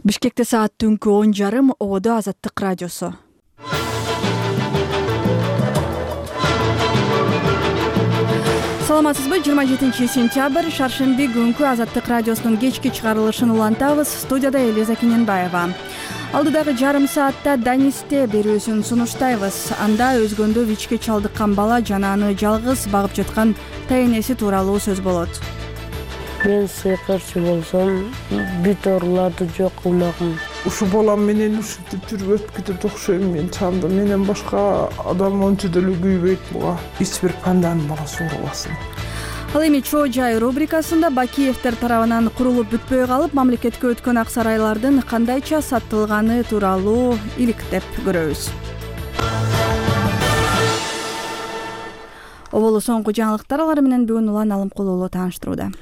Бишкекте саат түнкү 10:30 ободо Азаттык радиосу. Саламатсызбы? 27 сентябрь шаршемби күнкү Азаттык радиосунун кечки чыгарылышын улантабыз. Студияда Элиза Кененбаева. Алдыдагы жарым саатта Данисте берүүсүн сунуштайбыз. Анда өзгөндө ВИЧке чалдыккан бала жана аны жалгыз багып жаткан тайнеси тууралуу сөз болот. Мен сыйкырчы болсом, бүт ооруларды жок кылмакмын. Ушу балам менен ушинтип жүрүп өтүп кетет окшойм мен чамда. Менен башка адам ончо деле күйбөйт буга. Эч бир панданын баласы оорубасын. Ал эми Чоо жай рубрикасында Бакиевдер тарабынан курулуп бүтпөй калып, мамлекетке өткөн ак сарайлардын кандайча сатылганы тууралуу иликтеп көрөбүз. Оболу соңку жаңылыктар алар менен бүгүн Улан Алымкулуулу тааныштырууда.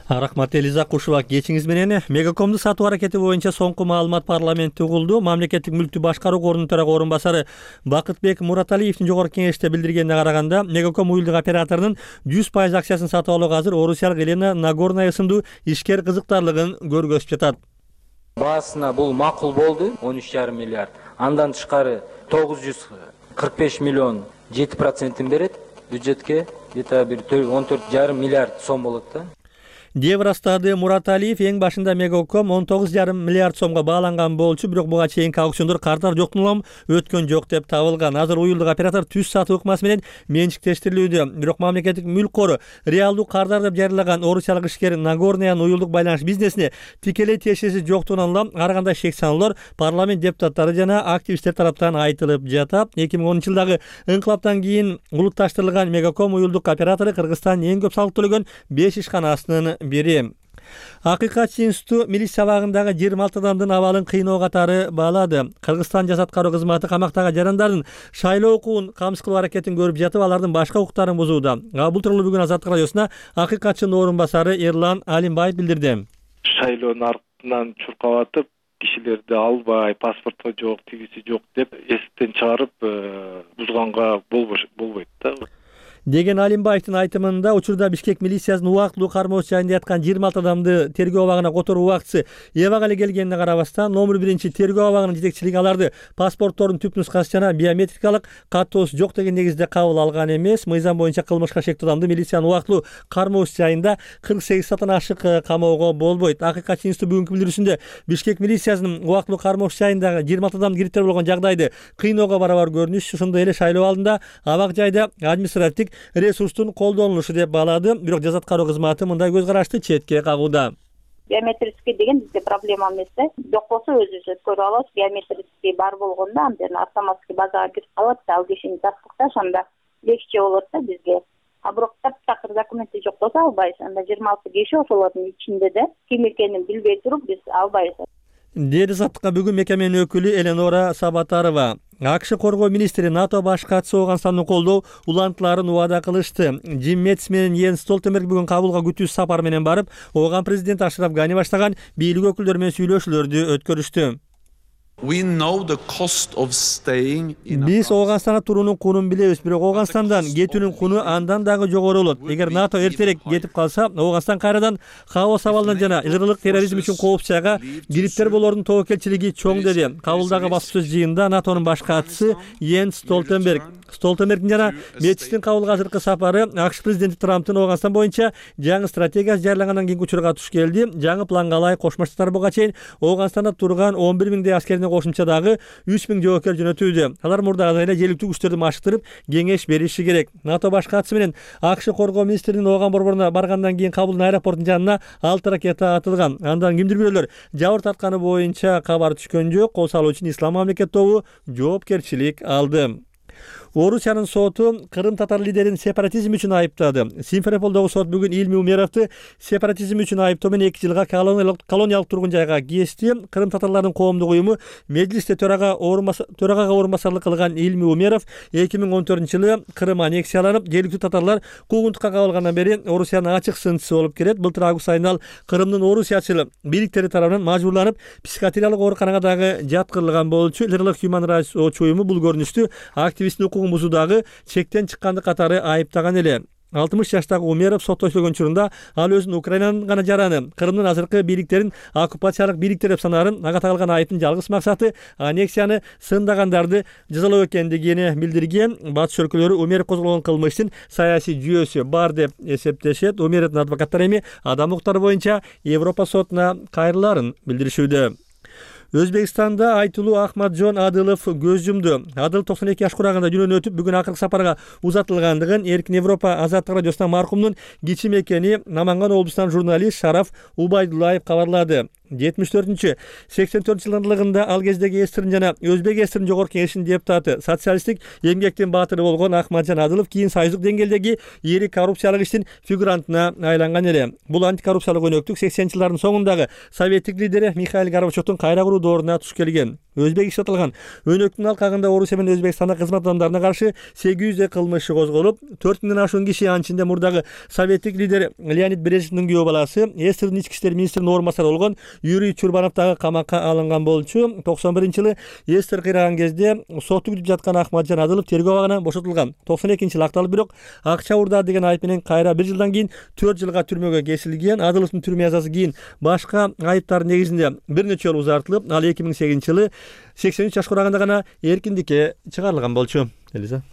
Рахмат Элиза Кушуба, кечиңиз менен. Мегакомду сатуу аракети боюнча соңку маалымат парламентте угулду. Мамлекеттик мүлктү башкаруу корунун төрагы орун басары Бакытбек Мураталиевдин жогорку кеңеште билдиргенине караганда, Мегаком уюлдук операторунун 100% акциясын сатып алууга азыр орусиялык Елена Нагорная ысымдуу ишкер кызыктарлыгын көргөзүп жатат. Баасына бул макул болду, 13,5 миллиард. Андан тышкары 945 миллион 7% берет бюджетке, где-то бир 14,5 миллиард сом болот да. Деп ырастады Мураталиев. Эң башында Мегаком 19,5 миллиард сомго бааланган болчу, бирок буга чейинки аукциондор картар жоктун өткөн жок деп табылган. Азыр уюлдук оператор түз сатуу ыкмасы менен менчиктештирилүүдө. Бирок мамлекеттик мүлк кору реалдуу кардар деп жарыялаган орусиялык ишкер Нагорнянын уюлдук байланыш бизнесине тикелей тиешеси жоктугунан улам ар кандай шек саноолор парламент депутаттары жана активисттер тараптан айтылып жатат. 2010 жылдагы ыңкылаптан кийин улутташтырылган Мегаком уюлдук оператору Кыргызстандын эң көп салык төлөгөн 5 ишканасынын бири. Акыйкатчы институту милиция абагындагы 26 адамдын абалын кыйноо катары баалады. Кыргызстан жазат кароо кызматы камактагы жарандардын шайлоо укугун камсыз кылуу аракетин көрүп жатып, алардын башка укуктарын бузууда. Бул тууралуу бүгүн Азаттык радиосуна акыйкатчынын орун басары Эрлан Алимбаев билдирди. Шайлоонун артынан чуркап атып, кишилерди албай, паспорту жок, тигиси жок деп эсиптен чыгарып бузганга болбойт да. Деген Алимбаевдин айтымында, учурда Бишкек милициясынын убактылуу кармоочу жайында яткан 26 адамды тергөө абагына которуу убактысы эбак эле келгенине карабастан, номер 1 тергөө абагынын жетекчилиги аларды паспорттордун түп нускасы жана биометрикалык каттоосу жок деген негизде кабыл алган эмес. Мыйзам боюнча кылмышка шектүү адамды милициянын убактылуу кармоочу жайында 48 сааттан ашык камоого болбойт. Акыйкатчы институту бүгүнкү билдирүүсүндө Бишкек милициясынын убактылуу кармоочу жайындагы 26 адам кириптер болгон жагдайды кыйноого барабар көрүнүш, ошондой эле шайлоо алдында абак жайда административдик ресурстун колдонулушу деп баалады. Бирок жазат кароо кызматы мындай көз карашты четке кагууда. Биометрический деген бизде проблема эмес да. Жок болсо өзүбүз өткөрүп алабыз. Биометрический бар болгондо анден автоматский базага кирип калат, ал кишини таптык да, ошондо легче болот да бизге. А бирок таптакыр документи жок болсо албайбыз. Анда 26 киши ошолордун ичинде да ким экенин билбей туруп биз албайбыз. Деди Саттыкка бүгүн мекеменин өкүлү Эленора Сабатарова. АКШ коргоо министри НАТО баш катчысы Ооганстандын колдоо улантыларын убада кылышты. Джим Мэтис менен Йенс Столтенберг бүгүн Кабулга күтүүсүз сапар менен барып, Ооган президент Ашраф Гани баштаган бийлик өкүлдөрү менен сүйлөшүүлөрдү өткөрүштү. Биз Ооганстанда туруунун кунун билебиз, бирок Ооганстандан кетүүнүн куну андан дагы жогору болот. Эгер НАТО эртерээк кетип калса, Ооганстан кайрадан хаос абалынан жана ылгырылык терроризм үчүн кооп жайга кириптер болоордун тобокелчилиги чоң, деди. Кабулдагы баспасөз жыйынында НАТОнун баш катчысы Йенс Столтенберг. Столтенбергдин жана Мэтистин Кабулга азыркы сапары АКШ президенти Трамптын Ооганстан боюнча жаңы стратегиясы жарыялангандан кийинки учурга туш келди. Жаңы планга ылайык Кошмо Штаттар буга чейин Ооганстанда турган 11 миңдей аскерине кошумча дагы 3 миң жоокер жөнөтүүдө. Алар мурдагы эле желектүү күчтөрдү машыктырып, кеңеш бериши керек. НАТО баш катчысы менен АКШ коргоо министринин Ооган борборуна баргандан кийин Кабулдун аэропортунун жанына 6 ракета атылган. Андан кимдир бирөөлөр жабыр тартканы боюнча кабар түшкөн жок. Кол салуу үчүн Ислам мамлекет тобу жоопкерчилик алды. Орусиянын соту Кырым татар лидерин сепаратизм үчүн айыптады. Симферополдогу сот бүгүн Илми Умеровду сепаратизм үчүн айыптоо менен 2 жылга колониялык тургун жайга кести. Кырым татарларынын коомдук уюму Меджлисте төрага орун басарлык кылган Илми Умеров 2014-жылы Кырым аннексияланып, жергиликтүү татарлар куугунтукка кабылгандан бери Орусиянын ачык сынчысы болуп келет. Былтыр август айында ал Кырымдын орусиячыл бийликтери тарабынан мажбурланып, психиатриялык ооруканага дагы жаткырылган болчу. Лирлык Human Rights Watch уюму бул көрүнүштү активисттин укугун бузуудагы чектен чыккандык катары айыптаган эле. 60 жаштагы Умеров сотто сөйлөгөн учурунда ал өзүн Украинанын гана жараны, Крымдын азыркы бийликтерин оккупациялык бийликтер деп санаарын, ага тагылган айыптын жалгыз максаты аннексияны сындагандарды жазалоо экендигин билдирген. Батыш өлкөлөрү Умеров козголгон кылмыштын саясий жүйөсү бар деп эсептешет. Умеровдун адвокаттары эми адам укуктары боюнча Европа сотуна кайрылаарын билдиришүүдө. Өзбекстанда айтылуу Ахматжон Адылов көз жумду. Адыл 92 жаш кураганда дүйнөдөн өтүп, бүгүн акыркы сапарга узатылгандыгын Эркин Европа Азаттык радиосуна маркумдун кичим экени Наманган облусунан журналист Шараф Убайдуллаев кабарлады. 74-84 ал кездеги эстерин жана Өзбек эстерин жогорку кеңешинин депутаты, социалисттик эмгектин баатыры болгон Ахматжон Адылов кийин союздук деңгээлдеги ири коррупциялык иштин фигурантына айланган эле. Бул антикоррупциялык өнөктүк 80-жылдардын соңундагы советтик лидери Михаил Горбачевдун кайра куруу дооруна туш келген. Өзбек иштатылган өнөктүн алкагында Орусия менен Өзбекстанда кызмат адамдарына каршы 800 кылмыш козголуп, 4000ден ашуун киши, анын ичинде мурдагы советтик лидер Леонид Брежневдин күйөө баласы, эстердин ички иштер министринин орун басары болгон Юрий Чурбанов дагы камакка алынган болчу. 91-жылы эстер кыйраган кезде соту күтүп жаткан Ахматжон Адылов тергөө абагынан бошотулган. 92-жылы акталып, бирок акча урдаа деген айып менен кайра 1 жылдан кийин 4 жылга түрмөгө кесилген. Адыловдун түрмө жазасы кийин башка айыптардын негизинде бир нече жолу узартылып, ал 2008-жылы 83 жаш кураганда гана эркиндикке чыгарылган болчу. Элиза.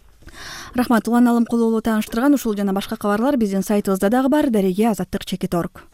Рахмат. Улан Алымкулуулу тааныштырган ушул жана башка кабарлар биздин сайтыбызда дагы бар. Дареге Азаттык.org.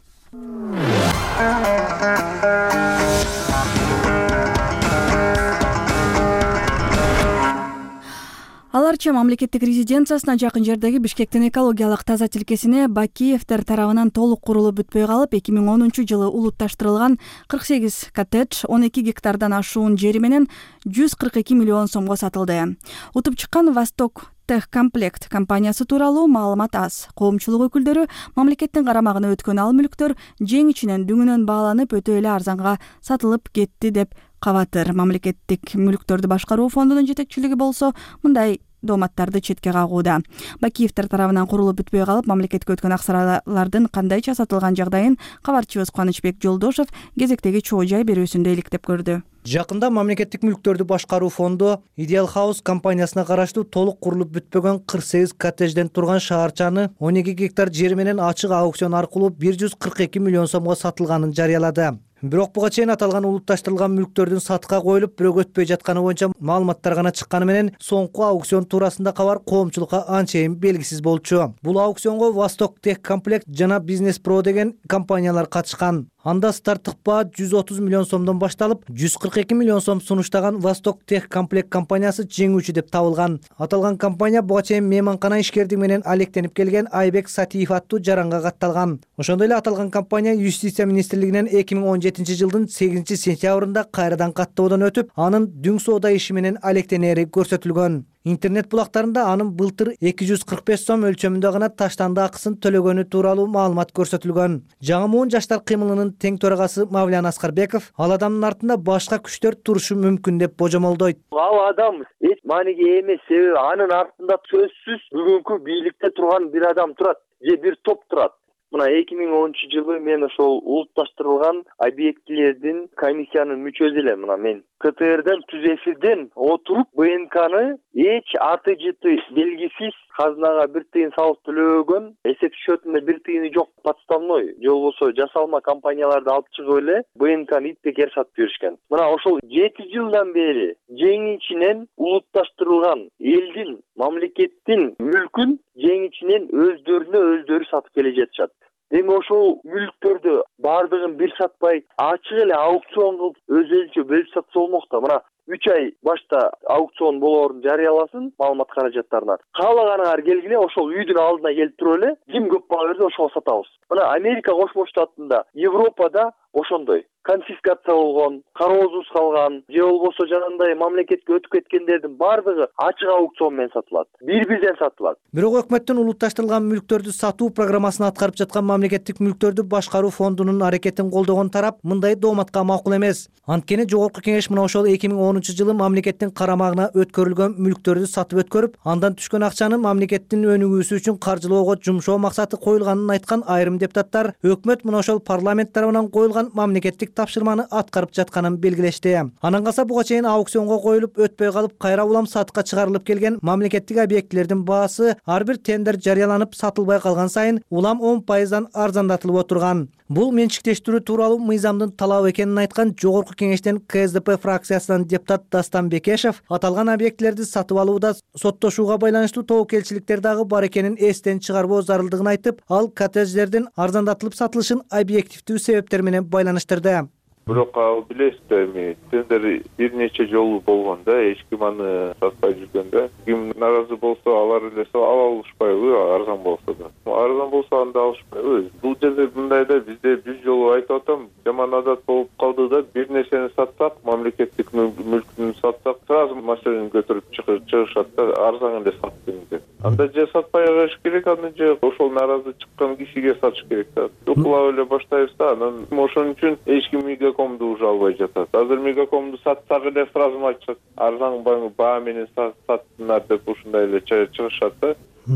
Аларча мамлекеттик резиденциясына жакын жердеги Бишкектин экологиялык таза тилкесине Бакиевдер тарабынан толук курулуп бүтпөй калып, 2010-жылы улутташтырылган 48 коттедж 12 гектардан ашуун жери менен 142 миллион сомго сатылды. Утуп чыккан Восток Техкомплект компаниясы тууралуу маалымат аз. Коомчулук өкүлдөрү мамлекеттин карамагына өткөн ал мүлктөр жең ичинен дүңүнөн бааланып өтө эле арзанга сатылып кетти деп кабатыр. Мамлекеттик мүлктөрдү башкаруу фондунун жетекчилиги болсо мындай дооматтарды четке кагууда. Бакиевдер тарабынан курулуп бүтпөй калып, мамлекетке өткөн акчалардын кандайча сатылган жагдайын кабарчыбыз Кубанычбек Жолдошов кезектеги чоо жай берүүсүндө иликтеп көрдү. Жакында мамлекеттик мүлктөрдү башкаруу фонду Ideal House компаниясына караштуу толук курулуп бүтпөгөн 48 коттеджден турган шаарчаны 12 гектар жери менен ачык аукцион аркылуу 142 миллион сомго сатылганын жарыялады. Бирок буга чейин аталган улутташтырылган мүлктөрдүн сатка коюлуп, бирок өтпөй жатканы боюнча маалыматтар гана чыкканы менен соңку аукцион туурасында кабар коомчулукка анчейин белгисиз болчу. Бул аукционго Восток Техкомплект жана Бизнес Про деген компаниялар катышкан. Анда старттык баа 130 миллион сомдон башталып, 142 миллион сом сунуштаган Восток Техкомплект компаниясы жеңүүчү деп табылган. Аталган компания буга чейин мейманкана ишкердиги менен алектенип келген Айбек Сатиев аттуу жаранга катталган. Ошондой эле аталган компания Юстиция министрлигинен 2017-жылдын 8-сентябрында кайрадан каттоодон өтүп, анын дүң соода иши менен алектенери көрсөтүлгөн. Интернет булактарында анын былтыр 245 сом өлчөмүндө гана таштанды акысын төлөгөнү тууралуу маалымат көрсөтүлгөн. Жаңы жаштар кыймылынын тең төрагасы Мавлян Аскарбеков ал адамдын артында башка күчтөр турушу мүмкүн деп божомолдойт. Ал адам эч мааниге эмес, себеби анын артында сөзсүз бүгүнкү бийликте турган бир адам турат же бир топ турат. Мына 2010-жылы мен ошол улутташтырылган объектилердин комиссиянын мүчөсү элем. Мына мен КТРден түз эфирден отуруп БНКны эч аты жыты белгисиз казынага бир тыйын салык төлөгөн, эсеп счетунда бир тыйыны жок подставной же болбосо жасалма компанияларды алып чыгып эле БНКны итпекер сатып беришкен. Мына ошол 7 жылдан бери жең ичинен улутташтырылган элдин, мамлекеттин мүлкүн жең ичинен өздөрү сатып келе жатышат. Эми ошол мүлктөрдү бардыгын бир сатпай, ачык эле аукцион кылып өзүнчө бөлүп сатса болмок да. Мына 3 ай башта аукцион болоорун жарыяласын маалымат каражаттарынан. Каалаганыңар келгиле, ошол үйдүн алдына келип туруп эле, ким көп баа берсе ошого сатабыз. Мына Америка Кошмо Штатында, Европада ошондой конфискация болгон, кароосуз калган, же болбосо жанагындай мамлекетке өтүп кеткендердин бардыгы ачык аукцион менен сатылат. Бир-бирден сатылат. Бирок өкмөттүн улутташтырылган мүлктөрдү сатуу программасын аткарып жаткан мамлекеттик мүлктөрдү башкаруу фондунун аракетин колдогон тарап мындай дооматка макул эмес. Анткени жогорку кеңеш мына ошол 2010 2010-жылы мамлекеттин карамагына өткөрүлгөн мүлктөрдү сатып өткөрүп, андан түшкөн акчаны мамлекеттин өнүгүүсү үчүн каржылоого жумшоо максаты коюлганын айткан айрым депутаттар өкмөт мына ошол парламент тарабынан коюлган мамлекеттик тапшырманы аткарып жатканын белгилешти. Анан калса буга чейин аукционго коюлуп өтпөй калып кайра улам сатыкка чыгарылып келген мамлекеттик объектилердин баасы ар бир тендер жарыяланып сатылбай калган сайын улам 10% арзандатылып отурган. Бул менчиктештирүү тууралуу мыйзамдын талабы экенин айткан Жогорку кеңештен КСДП фракциясынан депутат Дастан Бекешев аталган объектилерди сатып алууда соттошууга байланыштуу тобокелчиликтер дагы бар экенин эстен чыгарбоо зарылдыгын айтып, ал коттедждердин арзандатылып сатылышын объективдүү себептер менен байланыштырды. Бирок ал билесиз да, эми тендер бир нече жолу болгон да, эч ким аны сатпай жүргөн да. Ким наразы болсо, алар эле ала алышпайбы, арзан болсо да. Арзан болсо анда алышпайбы. Бул жерде мындай да, бизде 100 жолу айтып атам, жаман адат болуп калды да, бир нерсени сатсак, мамлекеттик мүлкүн сатсак, сразу маселени көтөрүп чыгышат да, арзан эле саттым деп. Анда же сатпай коюш керек, аны же ошол наразы чыккан кишиге сатыш керек да. Уклап эле баштайбыз да, анан ошон үчүн эч ким Мегакомду уже албай жатат. Азыр Мегакомду сатсак эле сразу айтышат, арзан баа менен саттыңар деп ушундай эле чыгышат да.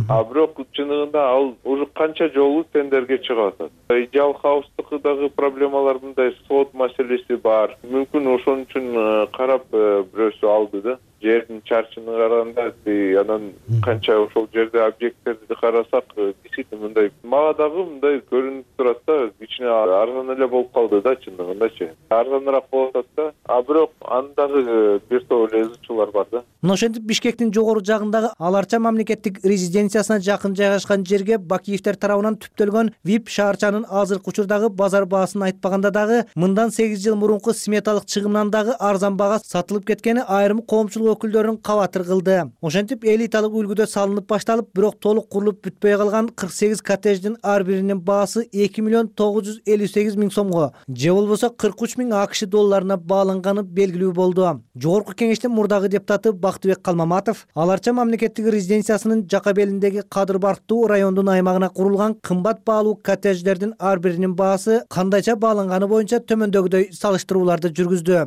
А бирок чыныгында ал уже канча жолу тендерге чыгып атат. Идеал Хаустыкы дагы проблемалар мындай, сот маселеси бар. Мүмкүн ошон үчүн карап бирөөсү алды да. Жердин чарчыны караганда, анан канча ошол жерде объекттерди карасак, действительно мындай мага дагы мындай көрүнүп турат да, кичине арзан эле болуп калды да, чындыгындачы. Арзаныраак болуп атат да. А бирок андагы бир топ эле ызычуулар бар да. Мына ошентип Бишкектин жогору жагындагы Аларча мамлекеттик резиденциясына жакын жайгашкан жерге Бакиевдер тарабынан түптөлгөн VIP шаарчанын азыркы учурдагы базар баасын айтпаганда дагы мындан 8 жыл мурунку сметалык чыгымынан дагы арзан баага сатылып кеткени айрым коомчулук өкүлдөрүнүн кабатыр кылды. Ошентип элиталык үлгүдө салынып башталып, бирок толук курулуп бүтпөй калган 48 коттедждин ар биринин баасы 2 миллион 958 миң сомго, же болбосо 43 миң АКШ долларына бааланганы белгилүү болду. Жогорку кеңештин мурдагы депутаты Бактыбек Калмаматов Аларча мамлекеттик резиденциясынын жака белиндеги Кадыр Барктуу райондун аймагына курулган кымбат баалуу коттедждердин ар биринин баасы кандайча бааланганы боюнча төмөндөгүдөй салыштырууларды жүргүздү.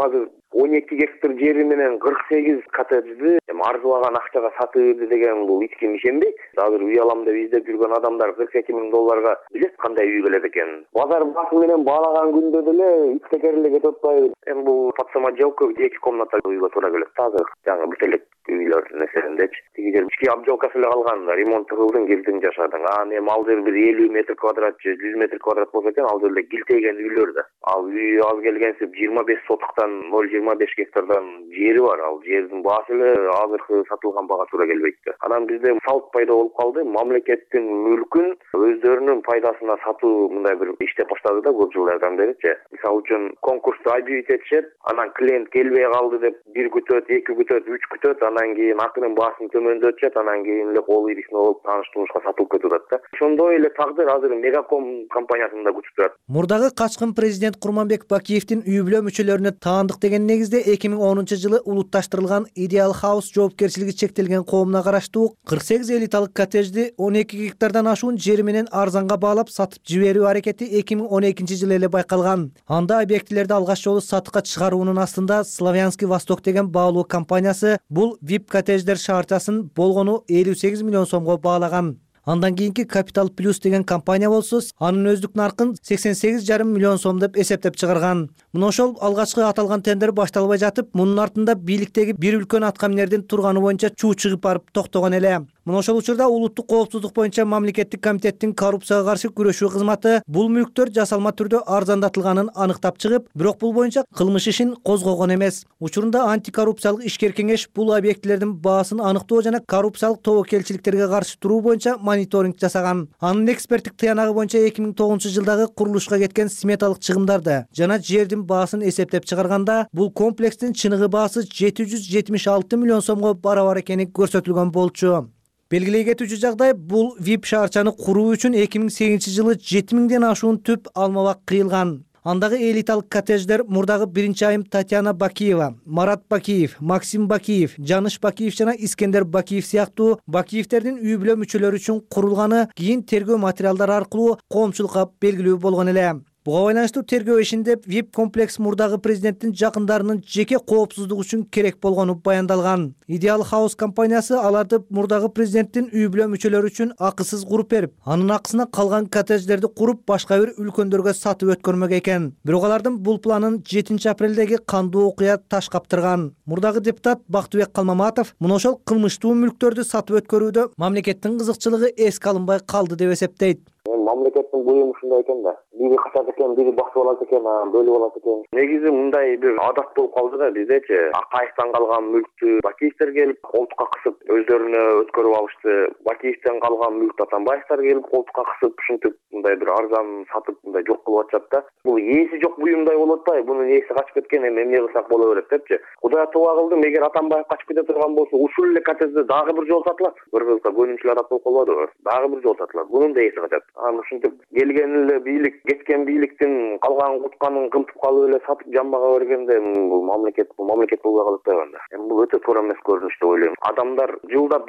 Азыр 12 гектар жери менен 48 коттеджди арзыбаган акчага сатып берди деген бул эч ким ишенбейт. Азыр үй алам деп издеп жүргөн адамдар 42 миң долларга билет кандай үй келет экен. Базар баасы менен баалаган күндө деле ичтекерлик этип атпайбы. Эми бул подсамоделка 2 комната үйгө туура келет. Азыр жаңы бүтелек үйлөр нерселендечи. Тиги жер ички обжалкасы эле калган, ремонт кылдың, келдиң жашадың. Эми ал жер бир 50 метр квадрат же 100 метр квадрат болсо экен, ал жерде килтейген үйлөр да. Ал үй аз келгенсип 25 сотуктан 0,25 гектардан жери бар. Ал жердин баасы эле азыркы сатылган бага туура келбейт да. Анан бизде салт пайда болуп калды. Мамлекеттин мүлкүн өздөрүнүн пайдасына сатуу мындай бир иштеп баштады да көп жылдардан беричи. Мисалы үчүн конкурсту объявить этишет, анан клиент келбей калды деп 1 күтөт, 2 күтөт, 3 күтөт, анан кийин акынын баасын төмөндөтүшөт, анан кийин эле кол ирисине болуп тааныш-тунушка сатылып кетип атат да. Ошондой эле тагдыр азыр Мегаком компаниясында күтүп турат. Мурдагы качкын президент Курманбек Бакиевдин үй бүлө мүчөлөрүнө таандык деген негизде 2010-жылы улутташтырылган Ideal House жоопкерчилиги чектелген коомуна караштуу 48 элиталык коттеджди 12 гектардан ашуун жери менен арзанга баалап сатып жиберүү аракети 2012-жылы эле байкалган. Анда объектилерди алгач жолу сатыкка чыгаруунун астында Славянский Восток деген баалоо компаниясы бул VIP коттедждер шаарчасын болгону 58 миллион сомго баалаган. Андан кийинки Capital Plus деген компания болсо, анын өздүк наркын 88,5 миллион сом деп эсептеп чыгарган. Мына ошол алгачкы аталган тендер башталбай жатып, мунун артында бийликтеги бир үлкөн аткаминердин турганы боюнча чуу чыгып барып токтогон эле. Мына ошол учурда улуттук коопсуздук боюнча мамлекеттик комитеттин коррупцияга каршы күрөшүү кызматы бул мүлктөр жасалма түрдө арзандатылганын аныктап чыгып, бирок бул боюнча кылмыш ишин козгогон эмес. Учурунда антикоррупциялык ишкер кеңеш бул объектилердин баасын аныктоо жана коррупциялык тобокелчиликтерге каршы туруу боюнча мониторинг жасаган. Анын эксперттик тыянагы боюнча 2009-жылдагы курулушка кеткен сметалык чыгымдарды жана жердин баасын эсептеп чыгарганда, бул комплекстин чыныгы баасы 776 миллион сомго барабар экени көрсөтүлгөн болчу. Белгилей кетүүчү жагдай, бул VIP шаарчаны куруу үчүн 2008-жылы 7000ден ашуун түп алмабак кыйылган. Андагы элиталык коттедждер мурдагы биринчи айым Татьяна Бакиева, Марат Бакиев, Максим Бакиев, Жаныш Бакиев жана Искендер Бакиев сыяктуу Бакиевдердин үй бүлө мүчөлөрү үчүн курулганы кийин тергөө материалдары аркылуу коомчулукка белгилүү болгон эле. Буга байланыштуу тергөө ишинде VIP комплекс мурдагы президенттин жакындарынын жеке коопсуздугу үчүн керек болгону баяндалган. Ideal House компаниясы аларды мурдагы президенттин үй бүлө мүчөлөрү үчүн акысыз куруп берип, анын акысына калган коттедждерди куруп башка бир үлкөндөргө сатып өткөрмөк экен. Бирок алардын бул планын 7 апрелдеги кандуу окуя таш каптырган. Мурдагы депутат Бактыбек Калмаматов мына ошол кылмыштуу мүлктөрдү сатып өткөрүүдө мамлекеттин кызыкчылыгы эске алынбай калды деп эсептейт. Мамлекеттин буюму ушундай экен да. Бири качат экен, бири бакчы болот экен, бөлүп алат экен. Негизи мындай бир адат болуп калды да биздечи. Акаевден калган мүлктү Бакиевдер келип колтукка кысып өздөрүнө өткөрүп алышты. Бакиевден калган мүлктү Атамбаевдер келип колтукка кысып ушинтип мындай бир арзан сатып мындай жок кылып атышат да. Бул ээси жок буюмдай болуп атпайбы? Бунун ээси качып кеткен, эми эмне кылсак боло берет депчи. Кудай туба кылдым, эгер Атамбаев качып кете турган болсо, ушул эле коттеджде дагы бир жол сатылат. Бир кылса көнүнчүлөр адат болуп калбадыбы? Дагы бир жол сатылат. Бунун да ээси качат. Ушинтип келген эле бийлик, кеткен бийликтин калган кутканын кымтып калып эле сатып жамбага бергенде бул мамлекет болбой калып атпайбы анда? Эми бул өтө туура эмес көрүнүш деп ойлойм. Адамдар жылдап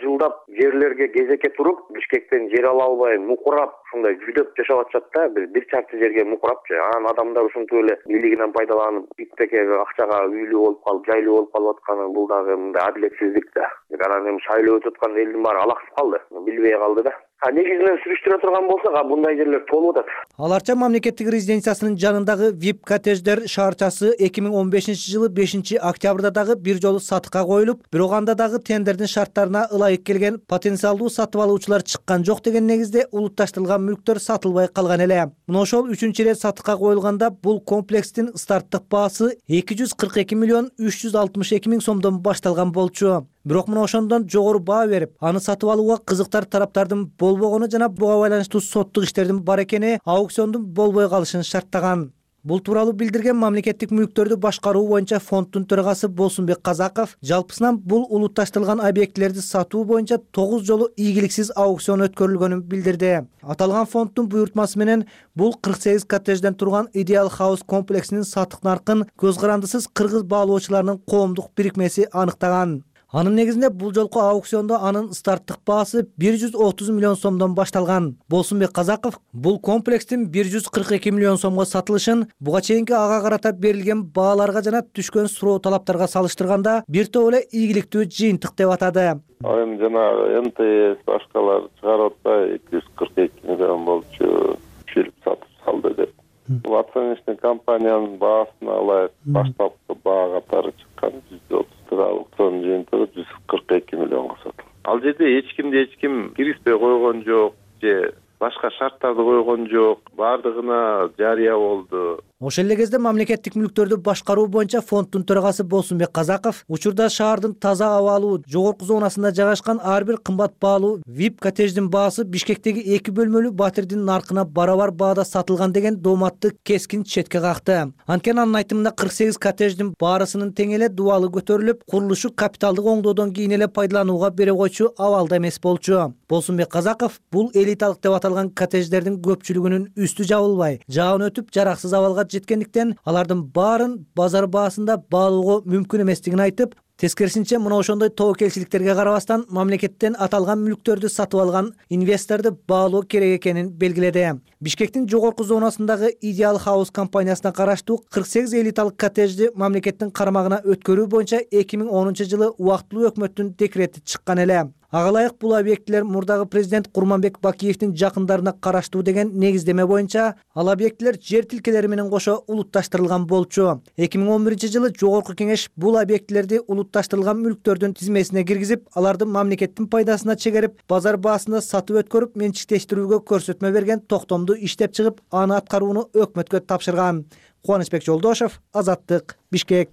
жерлерге кезекке туруп, Бишкектен жер ала албай, мукурап, ушундай жүдөп жашап атышат да, бир чарчы жерге мукурапчы. Анан адамдар ушинтип эле бийлигинен пайдаланып, ипотекага, акчага үйлүү болуп калып, жайлуу болуп калып атканы бул дагы мындай адилетсиздик да. Анан эми шайлоо өтүп аткан элдин баары алаксып калды, билбей калды да. Негизинен сүрүштүрө турган болсок, мындай жерлер толуп атат. Аларча мамлекеттик резиденциясынын жанындагы VIP коттедждер шаарчасы 2015-жылы 5-октябрда дагы бир жолу сатыкка коюлуп, бирок анда дагы тендердин шарттарына ылайык келген потенциалдуу сатып алуучулар чыккан жок деген негизде улутташтырылган мүлктөр сатылбай калган эле. Мына ошол 3-чү ирет сатыкка коюлганда бул комплекстин старттык баасы 242 миллион 362 миң сомдон башталган болчу. Бирок мына ошондон жогору баа берип, аны сатып алууга кызыктар тараптардын болбогону жана буга байланыштуу соттук иштердин бар экени аукциондун болбой калышын шарттаган. Бул тууралуу билдирген мамлекеттик мүлктөрдү башкаруу боюнча фонддун төрагасы Болсунбек Казаков жалпысынан бул улутташтырылган объектилерди сатуу боюнча 9 жолу ийгиликсиз аукцион өткөрүлгөнүн билдирди. Аталган фонддун буйртмасы менен бул 48 коттеджден турган Ideal House комплексинин сатык наркын көз карандысыз кыргыз баалоочуларынын коомдук бирикмеси аныктаган. Анын негизинде бул жолку аукциондо анын старттык баасы 130 миллион сомдон башталган. Болсунбек Казаков бул комплекстин 142 миллион сомго сатылышын буга чейинки ага карата берилген бааларга жана түшкөн суроо талаптарга салыштырганда бир топ эле ийгиликтүү жыйынтык деп атады. Эми жанагы МТС башкалар чыгарып атпайбы 242 миллион болчу фильм сатып салды деп. Бул оценочный компаниянын баасына ылайык баштапкы баа катары чыккан 130 аукцион жыйынтыгы 142 миллионго сатылды. Ал жерде эч ким киргизбей койгон жок же башка шарттарды койгон жок. Бардыгына жарыя болду. Ошол эле кезде мамлекеттик мүлктөрдү башкаруу боюнча фонддун төрагасы Болсунбек Казаков учурда шаардын таза абалуу жогорку зонасында жайгашкан ар бир кымбат баалуу VIP коттедждин баасы Бишкектеги 2 бөлмөлүү батирдин наркына барабар баада сатылган деген дооматты кескин четке какты. Анткени анын айтымында 48 коттедждин баарысынын тең эле дубалы көтөрүлүп, курулушу капиталдык оңдоодон кийин эле пайдаланууга бере койчу абалда эмес болчу. Болсунбек Казаков бул элиталык деп аталган коттедждердин көпчүлүгүнүн үстү жабылбай, жаан өтүп жараксыз абалга жеткендиктен алардын баарын базар баасында баалоого мүмкүн эместигин айтып, тескерисинче мына ошондой тобокелчиликтерге карабастан мамлекеттен аталган мүлктөрдү сатып алган инвесторду баалоо керек экенин белгиледи. Бишкектин жогорку зонасындагы Ideal House компаниясына караштуу 48 элиталык коттеджди мамлекеттин карамагына өткөрүү боюнча 2010-жылы убактылуу өкмөттүн декрети чыккан эле. Ага ылайык бул объектилер мурдагы президент Курманбек Бакиевдин жакындарына караштуу деген негиздеме боюнча ал объектилер жер тилкелери менен кошо улутташтырылган болчу. 2011-жылы жогорку кеңеш бул объектилерди улутташтырылган мүлктөрдүн тизмесине киргизип, аларды мамлекеттин пайдасына чегерип, базар баасында сатып өткөрүп, менчиктештирүүгө көрсөтмө берген токтомду иштеп чыгып, аны аткарууну өкмөткө тапшырган. Кубанычбек Жолдошев, Азаттык, Бишкек.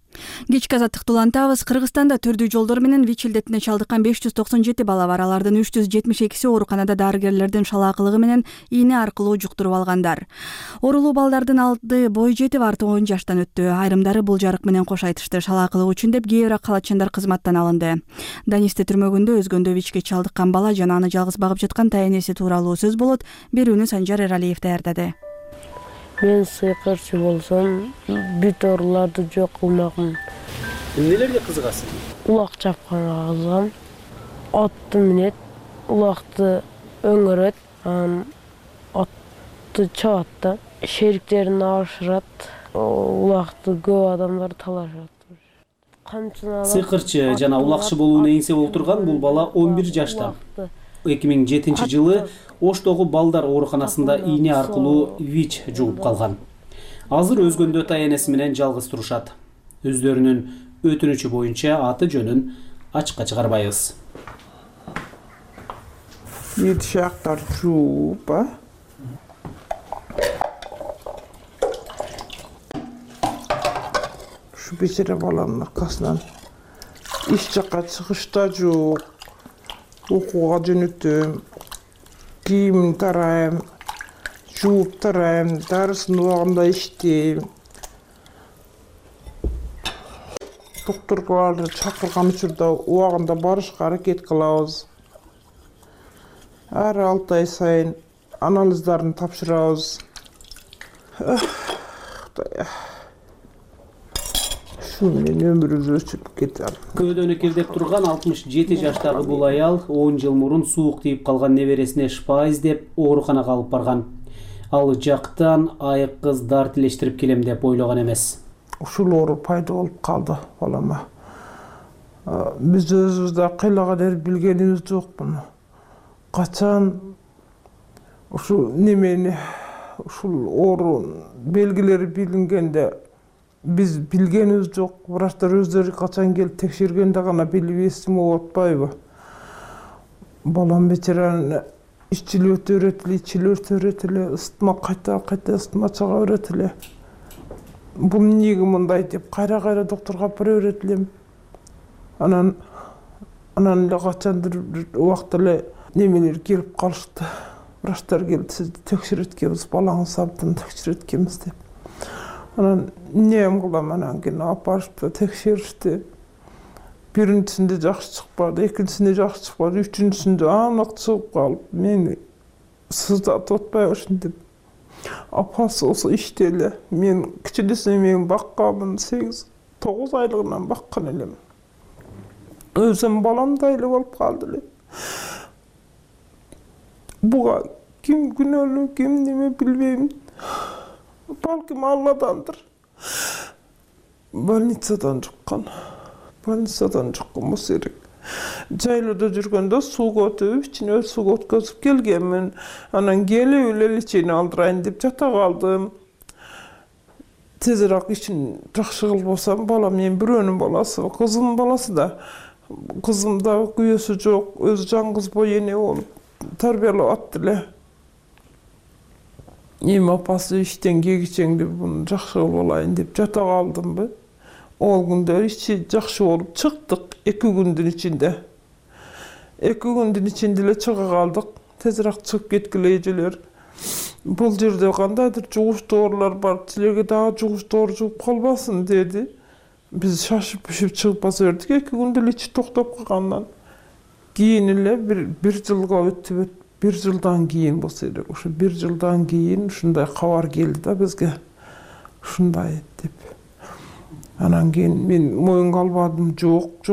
Кечки азаттыкты улантабыз. Кыргызстанда түрдүү жолдор менен ВИЧ илдетине чалдыккан 597 бала бар. Алардын 372-си ооруканада дарыгерлердин шалаакылыгы менен ийне аркылуу жуктуруп алгандар. Оорулуу балдардын алды бой жетип, арты 10 жаштан өттү. Айрымдары бул жарык менен кош айтышты. Шалаакылык үчүн деп кээ бирок калачандар кызматтан алынды. Данисте түрмөгүндө өзгөндө ВИЧке чалдыккан бала жана аны жалгыз багып жаткан тайенеси тууралуу сөз болот. Берүүнү Санжар Эралиев даярдады. Мен сыйкырчы болсом, бүт ооруларды жок кылмакмын. Эмнелерге кызыгасың? Улак чапканга кызыгам. Атты минет, улакты өңгөрөт, атты чабат да. шериктерин ашырат, улакты көп адамдар талашат. Сыйкырчы жана улакчы болууну эңсеп отурган бул бала 11 жашта. 2007-жылы Оштогу балдар ооруканасында ийне аркылуу ВИЧ жугуп калган. Азыр өзгөндө ата-энеси менен жалгыз турушат. Өздөрүнүн өтүнүчү боюнча аты жөнүн ачыкка чыгарбайбыз. Шактар жууп, Ушу бечара баланын аркасынан иш жакка чыгышта жок, окууга жөнөтөм, кийимин тарайм, жууп тарайм, дарысын убагында иштейм. Доктурларды чакырган учурда убагында барышка аракет кылабыз. Ар 6 ай сайын анализдарын тапшырабыз. Ушу менен өмүрүбүз өчүп кетет. Көөдөн экелдеп турган 67 жаштагы бул аял 10 жыл мурун суук тийип калган небересине шыпа издеп ооруканага алып барган. Ал жактан айык кыз дар тилештирип келем деп ойлогон эмес. Ушул оору пайда болуп калды балама. Биз өзүбүз да кыйлаган эр билгенибиз жок муну. Качан ушул немени, ушул оору белгилери билингенде биз билгенибиз жок. Врачтар өздөрү качан келип текшергенде гана билип эсим болуп атпайбы? Балам бечаранын ичили өтө берет эле, ичили өтө берет эле, ысытма кайта ысытма чыга берет эле. Бул эмнеге мындай деп кайра доктурга алып бара берет элем. Анан эле качандыр убакта эле немелер келип калышты. Врачтар келип сизди текшерет экенбиз, балаңыз абдан текшерет экенбиз деп. Анан эмне кылам, анан кийин алып барышты, текшеришти. Биринчисинде жакшы чыкпады, экинчисинде жакшы чыкпады, үчүнчүсүндө анык чыгып калып, мени сыздатып атпайбы ушинтип. Апасы болсо иште эле. Мен кичинесине мен бакканмын, 8-9 айлыгынан баккан элем. Өзүм баламдай эле болуп калды эле. Буга ким күнөөлүү, ким неме билбейм. Балким Алладандыр. Больницадан жуккан болсо керек. Жайлоодо жүргөндө сууга өтүп, ичине сууга өткөзүп келгенмин. Анан келип эле лечение алдырайын деп жата калдым. Тезирээк ишин жакшы кылбасам, балам мен бирөөнүн баласы, кызымдын баласы да. Кызым да күйөөсү жок, өзү жалгыз бой эне болуп тарбиялап атты эле. Эми апасы иштен келгичең деп буну жакшы кылып алайын деп жата калдымбы. Ол күндө иши жакшы болуп чыктык 2 күндүн ичинде. 2 күндүн ичинде эле чыга калдык. Тезирээк чыгып кеткиле эжелер. Бул жерде кандайдыр жугуш доорулар бар, силерге дагы жугуш доору жугуп калбасын деди. Биз шашып пишип чыгып баса бердик. 2 күндө эле ичи токтоп калгандан кийин эле бир жылга өтүп, 1 жылдан кийин болсо керек. Ошо 1 жылдан кийин ушундай кабар келди да бизге. Ушундай деп. Анан кийин мен моюнга албадым. Жок.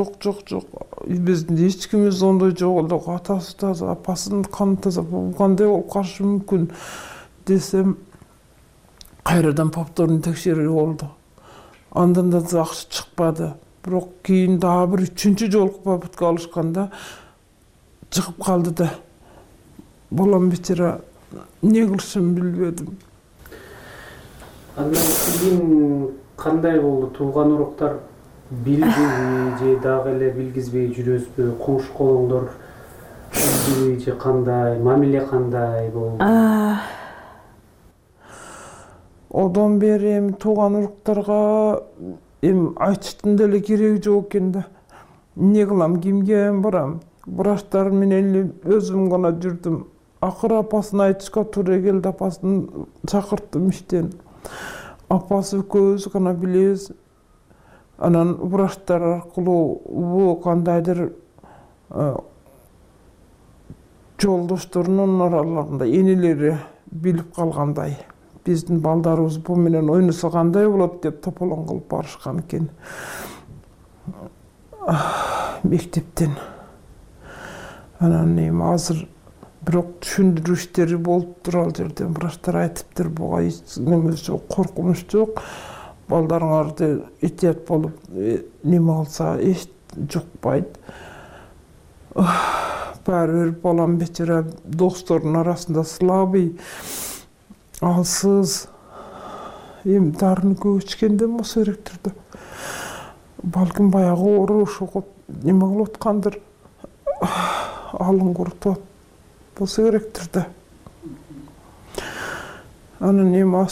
Биздин эч кимибиз ондой жок эле. Атасы таза, апасынын каны таза. Бул кандай болуп калышы мүмкүн десем, кайрадан повторный текшерүү болду. Андан да жакшы чыкпады. Бирок кийин дагы бир 3-чү жолку попытка алышканда чыгып калды да. Балам бечара эмне кылышын билбедим. Андан кийин кандай болду? Тууган уруктар билдиби же дагы эле билгизбей жүрөсүзбү? Коңшу колуңдор билдиби же кандай? Мамиле кандай болду? Одон бери эми тууган уруктарга айтыштын деле кереги жок экен да. Эмне кылам, кимге барам? Врачтар менен эле өзүм гана жүрдүм. Акыры апасын айтышка туура келди, апасын чакырттым иштен. Апасы экөөбүз гана билебиз. Анан врачтар аркылуу бул кандайдыр жолдошторунун араларында энелери билип калгандай. Биздин балдарыбыз бул менен ойносо кандай болот деп тополоң кылып барышкан экен. Мектептен. Анан эми азыр бирок түшүндүрүү иштери болуп тур ал жерден. Врачтар айтыптыр, буга эч неме жок, коркунуч жок. Балдарыңарды этият болуп неме кылса эч жукпайт. Баары бир балам бечара досторунун арасында слабый, алсыз. Эми дарыны көп ичкенде болсо керектир да. Балким баягы оору ошого неме кылып аткандыр. Алын курутуп болсо керектир да. Анан эми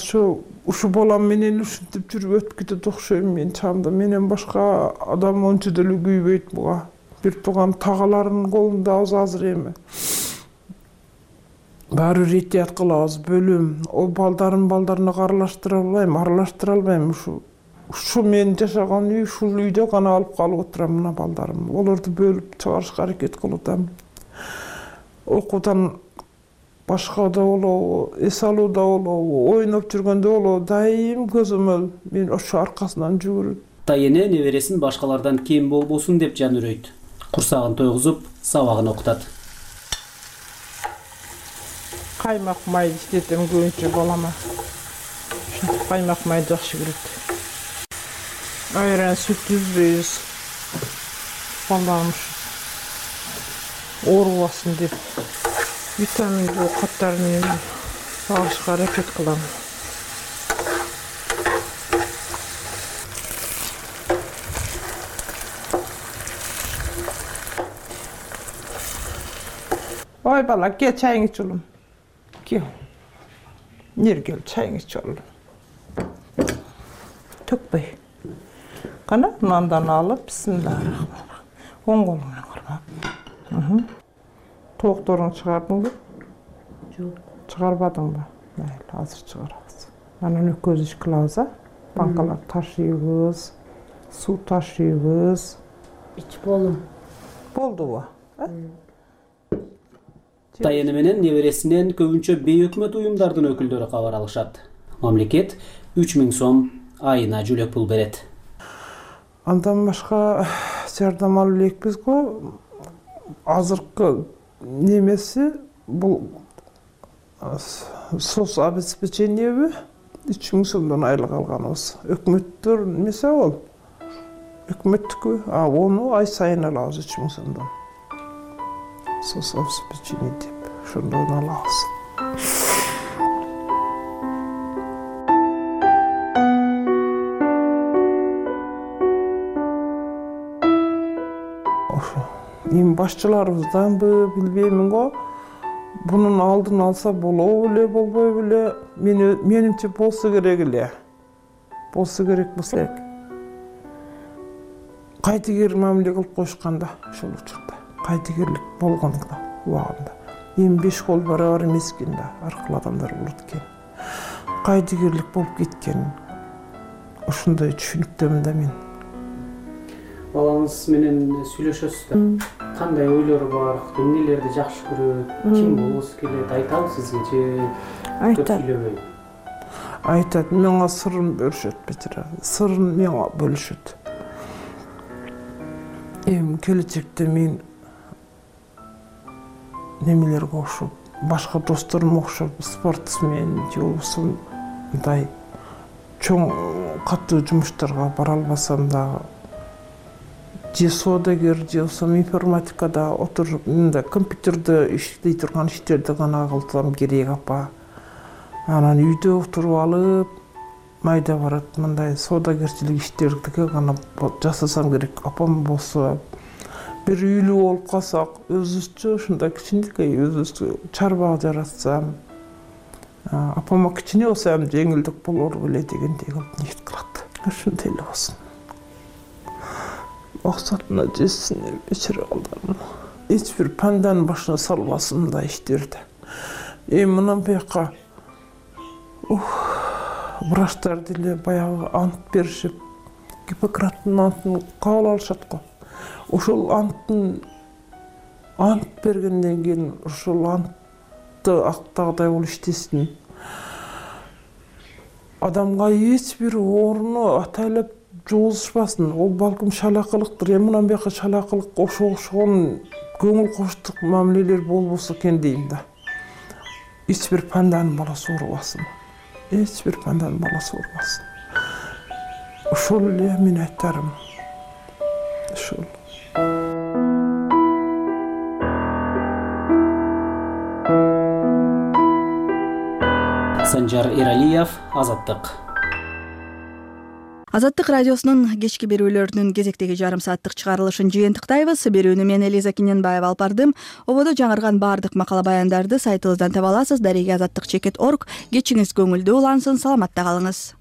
ушу балам менен ушинтип жүрүп өтүп кетет окшойм мен чамда. Менен башка адам ончо деле күйбөйт буга. Бир тууган тагаларынын колунда азыр эми. Баары бир этият кылабыз, бөлүм. Ол балдарына аралаштыра албайм. Ушу мен жашаган үй, ушул үйдө гана алып калып отурам мына балдарым. Олорду бөлүп чыгарышка аракет кылып атам. Окуудан башкада болобу, эс алууда болобу, ойноп жүргөндө болобу, дайым көзөмөл мен ошо аркасынан жүгүрөт. Тайене небересин башкалардан кем болбосун деп жан үрөйт. Курсагын тойгузуп, сабагын окутат. Каймак май иштетем көбүнчө балама. Каймак май жакшы көрөт. Айран сүт үзбөйбүз. Балдарым оорубасын деп витаминдүү каттарын алышка аракет кылам. Ой бала, кел чайың іч улум. Кел. Нергел чайың іч улум. Төкпөй. Кана мындан алып, бисмиллахиррахманиррахим. Оң колуңан кармап. Тоокторуңду чыгардыңбы? Жок. Чыгарбадыңбы? Майли, азыр чыгарабыз. Анан экөөбүз иш кылабыз, банкалар ташыйбыз, суу ташыйбыз. Ич болум. Болдубу? Тайене менен небересинен көбүнчө бейөкмөт уюмдардын өкүлдөрү кабар алышат. Мамлекет 3000 сом айына жүлөк пул берет. Андан башка жардам алып элекпиз го. Азыркы немеси бул соц обеспечениеби 3000 сомдон айлык алганыбыз. Өкмөттөр немеси ал. Өкмөттүкү, ону ай сайын алабыз 3000 сомдон. Соц обеспечение деп, ошондон алабыз. Эми башчыларыбызданбы билбеймин го. Бунун алдын алса болобу эле, болбойбу эле. Менимче болсо керек эле. Болсо керек болсо керек. Кайтыгер мамиле кылып коюшканда ошол учурда. Кайтыгерлик болгондо убагында. Эми 5 кол барабар эмес экен да, аркылуу адамдар болот экен. Кайтыгерлик болуп кеткен. Ошондой түшүнүктөмүн да мен. Балаңыз менен сүйлөшөсүз да. Кандай ойлору бар, эмнелерди жакшы көрөт, ким болбосу келет, айтабы сизге же айтат. Сүйлөбөй? Айтат, мага сырын бөлүшөт бечара. Сырын мага бөлүшөт. Эми келечекте мен немелерге окшоп, башка досторума окшоп, спортсмен же болбосо мындай чоң катуу жумуштарга бара албасам дагы, же соодагер, же болбосо информатикада отуруп, мындай компьютерде иштей турган иштерди гана кылсам керек апа. Анан үйдө отуруп алып, майда барат мындай соодагерчилик иштерди гана жасасам керек. Апам болсо бир үйлүү болуп калсак, өзүбүзчө ушундай кичинекей өзүбүзчө чарба жаратсам, апама кичине болсо эми жеңилдик болор беле дегендей кылып ниет кылат. Ушундай эле болсун. Максатына жетсин бечара балдарым. Эч бир панданын башына салбасын мындай иштерди. Эми мындан буяка врачтар деле баягы ант беришип, Гиппократтын антын кабыл алышат го. Ошол ант бергенден кийин ошол антты актагыдай болуп иштесин. Адамга эч бир ооруну атайлап жугузушпасын. Ол балким шалакылыктыр. Эми мындан бияка шалакылык ошогон көңүл коштук мамилелер болбосо экен дейм да. Эч бир панданын баласы оорубасын. Эч бир панданын баласы оорубасын. Ошол эле мен айтарым. Ошол. Санжар Эралиев, Азаттык. Азаттык радиосунун кечки берүүлөрүнүн кезектеги жарым сааттык чыгарылышын жыйынтыктайбыз. Берүүнү мен Элиза Киненбаева алып бардым. Ободо жаңырган баардык макала баяндарды сайтыбыздан таба аласыз. Дареге azаттык.org. Кечиңиз көңүлдүү улансын, саламатта калыңыз.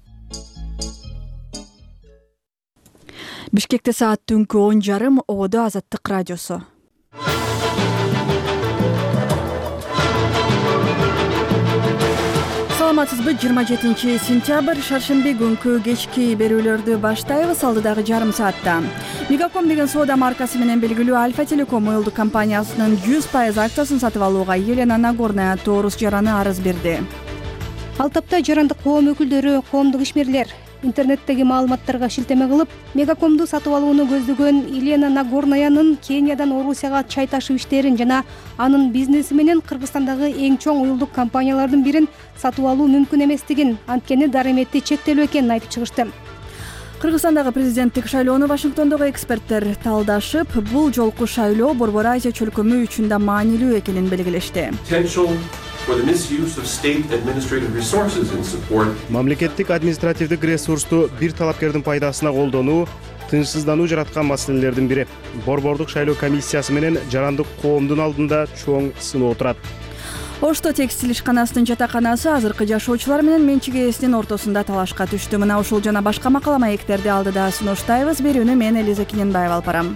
Бишкекте саат түнкү 10:30. Ободо Азаттык радиосу. Саламатсызбы? 27 сентябрь шаршемби күнкү кечки берүүлөрдү баштайбыз. Алдыдагы жарым саатта Мегаком деген соода маркасы менен белгилүү Альфа Телеком уюлдук компаниясынын 100% акциясын сатып алууга Елена Нагорная Тоорус жараны арыз берди. Ал тапта жарандык коом өкүлдөрү, коомдук ишмерлер интернеттеги маалыматтарга шилтеме кылып, Мегакомду сатып алууну көздөгөн Елена Нагорнаянын Кениядан Орусияга чай ташуу иштерин жана анын бизнеси менен Кыргызстандагы эң чоң уюлдук компаниялардын бирин сатып алуу мүмкүн эместигин, анткени дарыметти чектелүү экенин айтып чыгышты. Кыргызстандагы президенттик шайлоону Вашингтондогу эксперттер талдашып, бул жолку шайлоо Борбор Азия чөлкөмү үчүн да маанилүү экенин белгилешти. Мамлекеттик административдик ресурсту бир талапкердин пайдасына колдонуу тынчсыздануу жараткан маселелердин бири. Борбордук шайлоо комиссиясы менен жарандык коомдун алдында чоң сыноо турат. Ошто текстиль ишканасынын жатаканасы азыркы жашоочулар менен менчик ээсинин ортосунда талашка түштү. Мына ушул жана башка макала маектерди алдыда сунуштайбыз. Берүүнү мен Элиза Киненбаева алып барам.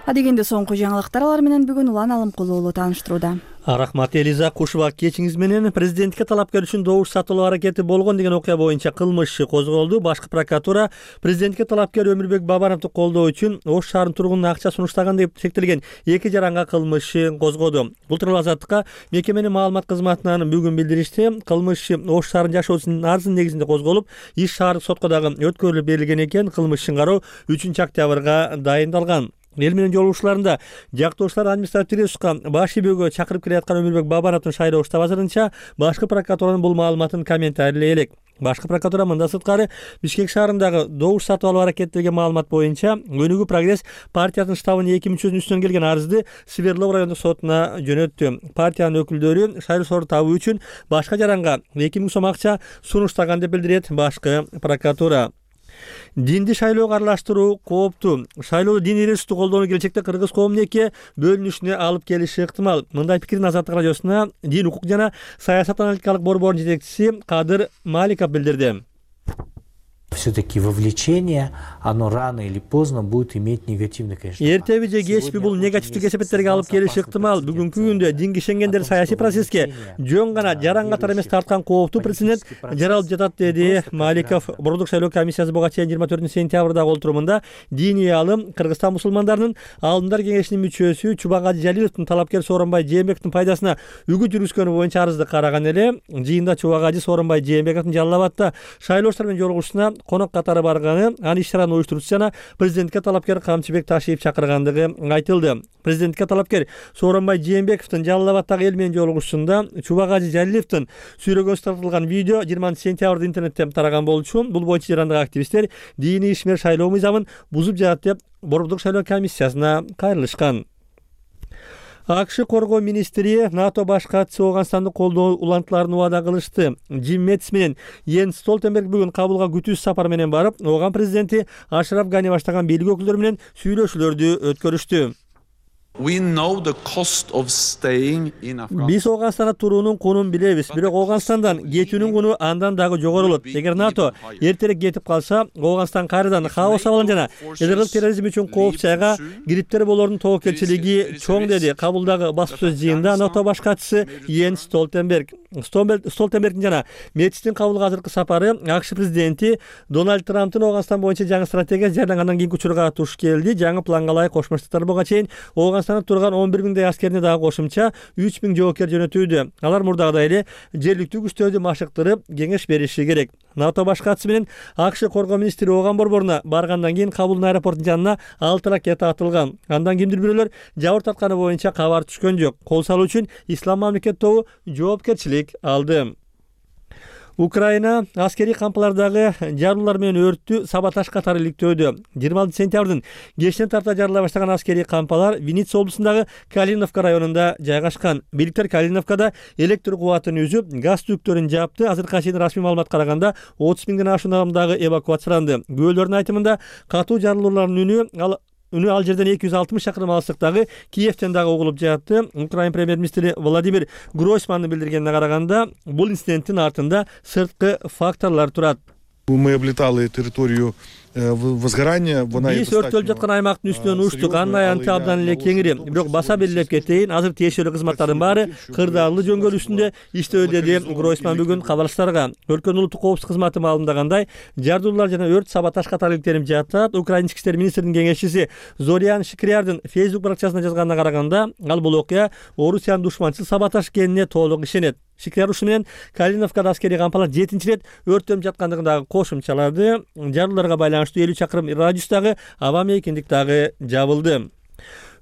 Адегенде соңку жаңылыктар алар менен бүгүн Улан Алымкулуу уулу тааныштырууда. Рахмат Элиза. Кушуба кечиңиз менен президентке талапкер үчүн добуш сатылуу аракети болгон деген окуя боюнча кылмыш иши козголду. Башкы прокуратура президентке талапкер Өмүрбек Бабановду колдоо үчүн Ош шаарынын тургунуна акча сунуштаган деп шектелген 2 жаранга кылмыш ишин козгоду. Бул тууралуу Азаттыкка мекеменин маалымат кызматынан бүгүн билдиришти. Кылмыш иши Ош шаарынын жашоочусунун арызынын негизинде козголуп, иш шаардык сотко дагы өткөрүлүп берилген экен. Кылмыш ишин кароо 3-октябрга дайындалган. Эл менен жолугушууларында жактоошулар административдик ресурска баш ийбөөгө чакырып келаткан Өмүрбек Бабановдун шайлоо штаб азырынча башкы прокуратуранын бул маалыматын комментарийлей элек. Башкы прокуратура мындан сырткары Бишкек шаарындагы добуш сатып алуу аракеттелген маалымат боюнча Өнүгүү прогресс партиянын штабынын 2 мүчөсүнүн үстүнөн келген арызды Свердлов райондук сотуна жөнөттү. Партиянын өкүлдөрү шайлоо сору табуу үчүн башка жаранга 2000 сом акча сунуштаган деп билдирет башкы прокуратура. Динди шайлоого аралаштыруу кооптуу. Шайлоодо диний ресурсту колдонуу келечекте кыргыз коомунун эки бөлүнүшүнө алып келиши ыктымал. Мындай пикирин Азаттык радиосуна Дин укук жана саясат аналитикалык борбордун жетекчиси Кадыр Маликов билдирди. Все-таки вовлечение, оно рано или поздно будет иметь негативный, конечно. Эртеби же кечпи бул негативдик эсепеттерге алып келиши ыктымал. Бүгүнкү күндө дин кишенгендер саясий процесске жөн гана жаран катары эмес тарткан кооптуу прецедент жаралып жатат, деди Маликов. Борбордук шайлоо комиссиясы буга чейин 24 сентябрдагы олтурумунда диний алым Кыргызстан мусулмандарынын алдындар кеңешинин мүчөсү Чубагажы Жалиловдун талапкер Сооронбай Жээнбековдун пайдасына үгүт жүргүзгөнү боюнча арызды караган эле. Жыйында Чубагажы Сооронбай Жээнбековдун Жалал абадта шайлоочулар менен жолугушуусуна конок катары барганы, анын иш-чаранын уюштуруучусу жана президентке талапкер Камчыбек Ташиев чакыргандыгы айтылды. Президентке талапкер Сооронбай Жээнбековдун Жалал абадтагы эл менен жолугушуусунда Чубагажы Жалиловдун сүрөгөнү тартылган видео 20 сентябрда интернетте тараган болчу. Бул боюнча жарандык активисттер диний ишмер шайлоо мыйзамын бузуп жатат деп Борбордук шайлоо комиссиясына кайрылышкан. АКШ коргоо министри НАТО баш катчысы Ооганстанды колдоо улантууларын убада кылышты. Джим Мэтис менен Йенс Столтенберг бүгүн Кабулга күтүүсүз сапар менен барып, Ооган президенти Ашраф Гани баштаган бийлик өкүлдөрү менен сүйлөшүүлөрдү өткөрүштү. Биз Ооганстанда туруунун кунун билебиз, бирок Ооганстандан кетүүнүн куну андан дагы жогору болот. Эгер НАТО эртерээк кетип калса, Ооганстан кайрадан хаос абалын жана элдик терроризм үчүн коопчайга кириптер болоордун тобокелчилиги чоң, деди Кабулдагы басма сөз жыйынында НАТО баш катчысы Йенс Столтенберг. Столтенбергдин жана Метистин кабылга азыркы сапары АКШ президенти Дональд Трамптын Ооганстан боюнча жаңы стратегиясы жарыялангандан кийинки учурга туш келди. Жаңы планга ылайык Кошмо Штаттар буга чейин Ооганстанда турган 11 миңдей аскерине дагы кошумча 3 миң жоокер жөнөтүүдө. Алар мурдагыдай эле жергиликтүү күчтөрдү машыктырып, кеңеш бериши керек. НАТО баш катышы менен АКШ коргоо министри Ооган борборуна баргандан кийин Кабулдун аэропортунун жанына 6 ракета атылган. Андан кимдир бирөөлөр жабыр тартканы боюнча кабар түшкөн жок. Кол салуу үчүн Ислам мамлекет тобу жоопкерчилик алды. Украина аскерий кампалардагы жарылуулар менен өрттү саботаж катары иликтөөдө. 26 сентябрдын кечинен тарта жарыла баштаган аскерий кампалар Винница облусундагы Калиновка районунда жайгашкан. Бийликтер Калиновкада электр кубатын үзүп, газ түктөрүн жапты. Азыркыга чейин расмий маалыматка караганда 30 миңден ашуун адам дагы эвакуацияланды. Күбөлөрдүн айтымында катуу жарылуулардын үнү ал жерден 260 шакырым алыстыктагы Киевтен дагы угулуп жатты. Украина премьер-министри Владимир Гройсмандын билдиргенине караганда, бул инциденттин артында сырткы факторлор турат. Мы облетали территорию возгорания. Биз өрттөлүп жаткан аймактын үстүнөн учтук. Анын аянты абдан эле кеңири. Бирок баса белгилеп кетейин, азыр тиешелүү кызматтардын баары кырдаалуу жөнгөл үстүндө иштөөдө деди Гройсман бүгүн кабарчыларга. Өлкөнүн улуттук коопсуздук кызматы маалымдагандай, жардуулар жана өрт саботаж катары иликтенип жатат. Украина ички иштер министринин кеңешчиси Зорян Шикриярдын Facebook баракчасына жазганына караганда, ал бул окуя Орусиянын душманчыл саботаж экенине толук ишенет. Шикрияр ушу менен Калиновкада аскерий кампалар 7-чи рет өрттөнүп жаткандыгын дагы кошумчалады. Жарылууларга байланыштуу 50 чакырым радиустагы аба мейкиндик дагы жабылды.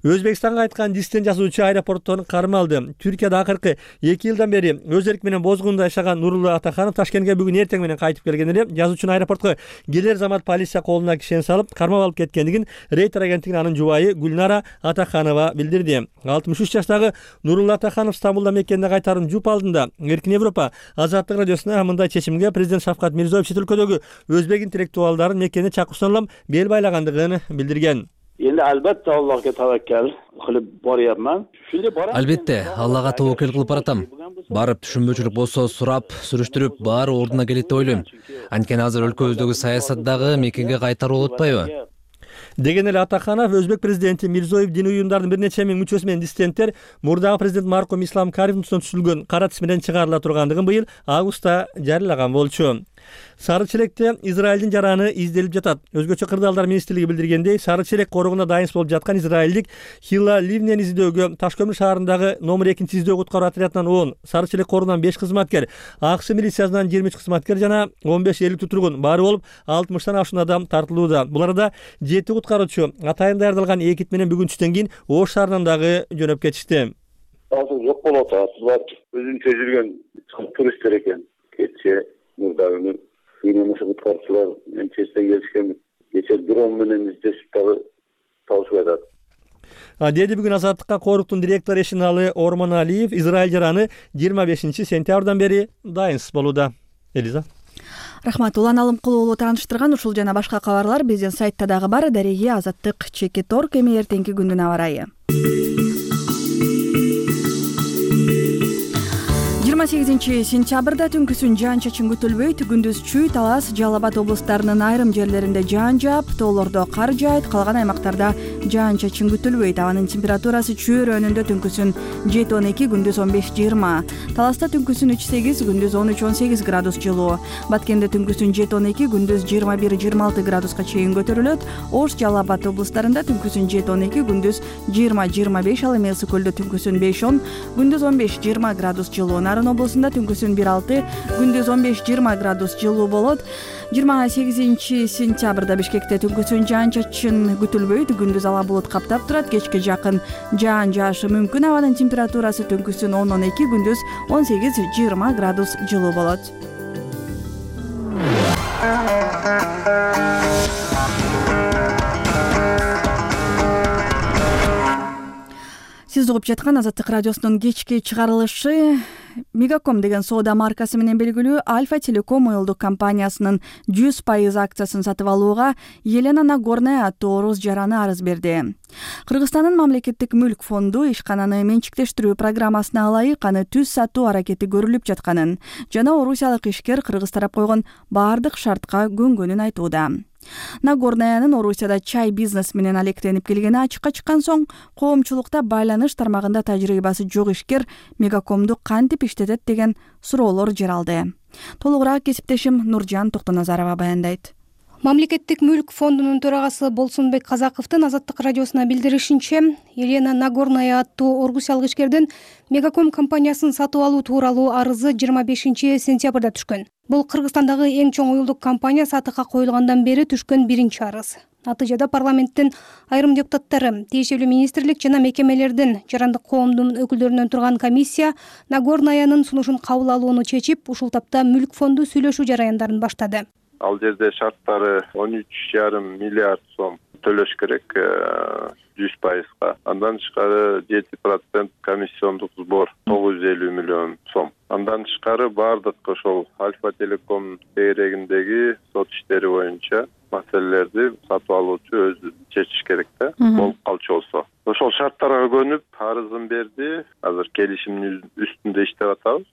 Өзбекстанга айткан диссидент жазуучу аэропорттон карма алды. Түркияда акыркы 2 жылдан бери өз эрки менен бозгунда жашаган Нурулла Атаханов Ташкентке бүгүн эртең менен кайтып келген эле. Жазуучунун аэропортко келер замат полиция колуна кишен салып, кармап алып кеткендигин Рейтер агенттигинин анын жубайы Гүлнара Атаханова билдирди. 63 жаштагы Нурулла Атаханов Стамбулда мекенине кайтарын жуп алдында Эркин Европа Азаттык радиосуна мындай чечимге президент Шавкат Мирзиёев чет өлкөдөгү өзбек интеллектуалдарын мекенине чакырсаң бел байлагандыгын билдирген. Endi albatta Allohga tavakkal qilib boryapman. Shunday boraman. Albatta, Allohga tavakkal qilib boratam. Барып түшүнбөчүлүк болсо сурап, сүрүштүрүп, баары ордуна келет деп ойлойм. Анткени азыр өлкөбүздөгү саясаттагы мекенге кайтаруу болуп атпайбы? Деген эле Атаханов өзбек президенти Мирзиёев дини уюмдардын бир нече миң мүчөсү менен диссиденттер мурдагы президент Марком Ислам Каримовдун түзүлгөн кара тиз менен чыгарыла тургандыгын быйыл августта жарыялаган болчу. Сары челекте Израилдин жараны изделип жатат. Өзгөчө кырдаалдар министрлиги билдиргендей, Сары челек корогуна дайын болуп жаткан израилдик Хилла Ливнен издөөгө Таш көмүр шаарындагы номер 2 издөө куткаруу отрядынан 10, Сары челек корунан 5 кызматкер, АКШ милициясынан 23 кызматкер жана 15 эликтүү тургун баары болуп 60тан ашуун адам тартылууда. Буларда 7 куткаруучу атайын даярдалган экип менен бүгүн түштөн кийин Ош шаарынан дагы жөнөп кетишти. Азыр жок болуп атат. Булар өзүнчө жүргөн туристтер экен. Кече мурдагы Yine kutkarçılar Manchester'e gelişken geçer drone menен издешип дагы табышып атат. Деди бүгүн Азаттыкка Коруктун директору Эшиналы Ормон Алиев Израиль жараны 25 сентябрдан бери дайынсыз болууда. Элиза. Рахмат. Улан Алымкулуу уулу тааныштырган ушул жана башка кабарлар биздин сайтта дагы бар. Дареги Азаттык.org. Эми эртеңки күндүн аба ырайы. 28 сентябрда түнкүсүн жаан-чачын күтүлбөйт. Күндүз Чүй, Талас, Жалал Абад облустарынын айрым жерлеринде жаан жаап, тоолордо кар жаайт, калган аймактарда жаан-чачын күтүлбөйт. Абанын температурасы Чүй районунда түнкүсүн 7-12, күндүз 15-20. Таласта түнкүсүн 3-8, күндүз 13-18 градус жылуу. Баткенде түнкүсүн 7-12, күндүз 21-26 градуска чейин көтөрүлөт. Ош, Жалал Абад облустарында түнкүсүн 7-12, күндүз 20-25, ал эми Ысык көлдө түнкүсүн 5-10, күндүз 15-20 градус жылуу. Нарын облусунда түнкүсүн 1-6, күндүз 15-20 градус жылуу болот. 28 сентябрда Бишкекте түнкүсүн жаан-чачын күтүлбөйт. Күндүз ала булут каптап турат. Кечке жакын жаан жаашы мүмкүн. Абанын температурасы түнкүсүн 10-12, күндүз 18-20 градус жылуу болот. Сиз угуп жаткан Азаттык радиосунун кечки чыгарылышы Мегаком деген соода маркасы менен белгилүү Альфа Телеком уюлдук компаниясынын 100% акциясын сатып алууга Елена Нагорная аттуу орус жараны арыз берди. Кыргызстандын мамлекеттик мүлк фонду ишкананы менчиктештирүү программасына ылайык аны түз сатуу аракети көрүлүп жатканын жана орусиялык ишкер кыргыз тарап койгон баардык шартка көнгөнүн айтууда. Нагорнаянын Орусияда чай бизнес менен алектенип келгени ачыкка чыккан соң, коомчулукта байланыш тармагында тажрыйбасы жок ишкер Мегакомду кантип иштетет деген суроолор жаралды. Толугураак кесиптешим Нуржан Токтоназарова баяндайт. Мамлекеттик мүлк фондунун төрагасы Болсунбек Казаковдун Азаттык радиосуна билдиришинче, Елена Нагорная аттуу орусиялык ишкердин Мегаком компаниясын сатып алуу тууралуу арызы 25-сентябрда түшкөн. Бул Кыргызстандагы эң чоң уюлдук компания сатыкка коюлгандан бери түшкөн биринчи арыз. Натыйжада парламенттин айрым депутаттары, тиешелүү министрлик жана мекемелердин жарандык коомдун өкүлдөрүнөн турган комиссия Нагорнаянын сунушун кабыл алууну чечип, ушул тапта мүлк фонду сүйлөшүү жараяндарын баштады. Ал жерде шарттары 13,5 миллиард сом төлөш керек 100%. Андан тышкары 7% комиссиондук сбор 950 миллион сом. Андан тышкары бардык ошол Альфа Телеком тегерегиндеги сот иштери боюнча маселелерди сатып алуучу өзү чечиш керек да, болуп калчу болсо. Ошол шарттарга көнүп арызын берди. Азыр келишимдин үстүндө иштеп атабыз.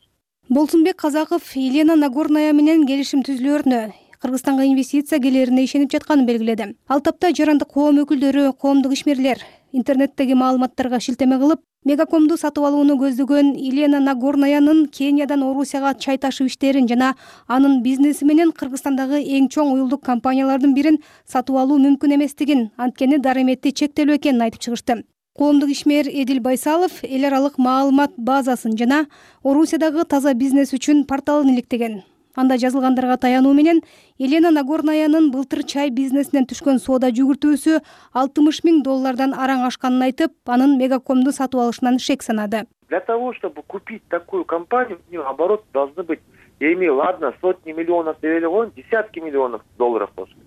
Болсунбек Казаков Елена Нагорная менен келишим түзүлөрүнө, Кыргызстанга инвестиция келерине ишенип жатканын белгиледи. Ал тапта жарандык коом өкүлдөрү, коомдук ишмерлер интернеттеги маалыматтарга шилтеме кылып, Мегакомду сатып алууну көздөгөн Елена Нагорнаянын Кениядан Орусияга чай ташуу иштерин жана анын бизнеси менен Кыргызстандагы эң чоң уюлдук компаниялардын бирин сатып алуу мүмкүн эместигин, анткени дарыметти чектелүү экенин айтып чыгышты. Коомдук ишмер Эдил Байсалов эл аралык маалымат базасын жана Орусиядагы таза бизнес үчүн порталын иликтеген. Анда жазылгандарга таянуу менен Елена Нагорнаянын былтыр чай бизнесинен түшкөн соода жүгүртүүсү $60 000 араң ашканын айтып, анын Мегакомду сатып алышынан шек санады. Для того, чтобы купить такую компанию, у нее оборот должны быть, я имею, ладно, сотни миллионов девелегон, десятки миллионов долларов болсун.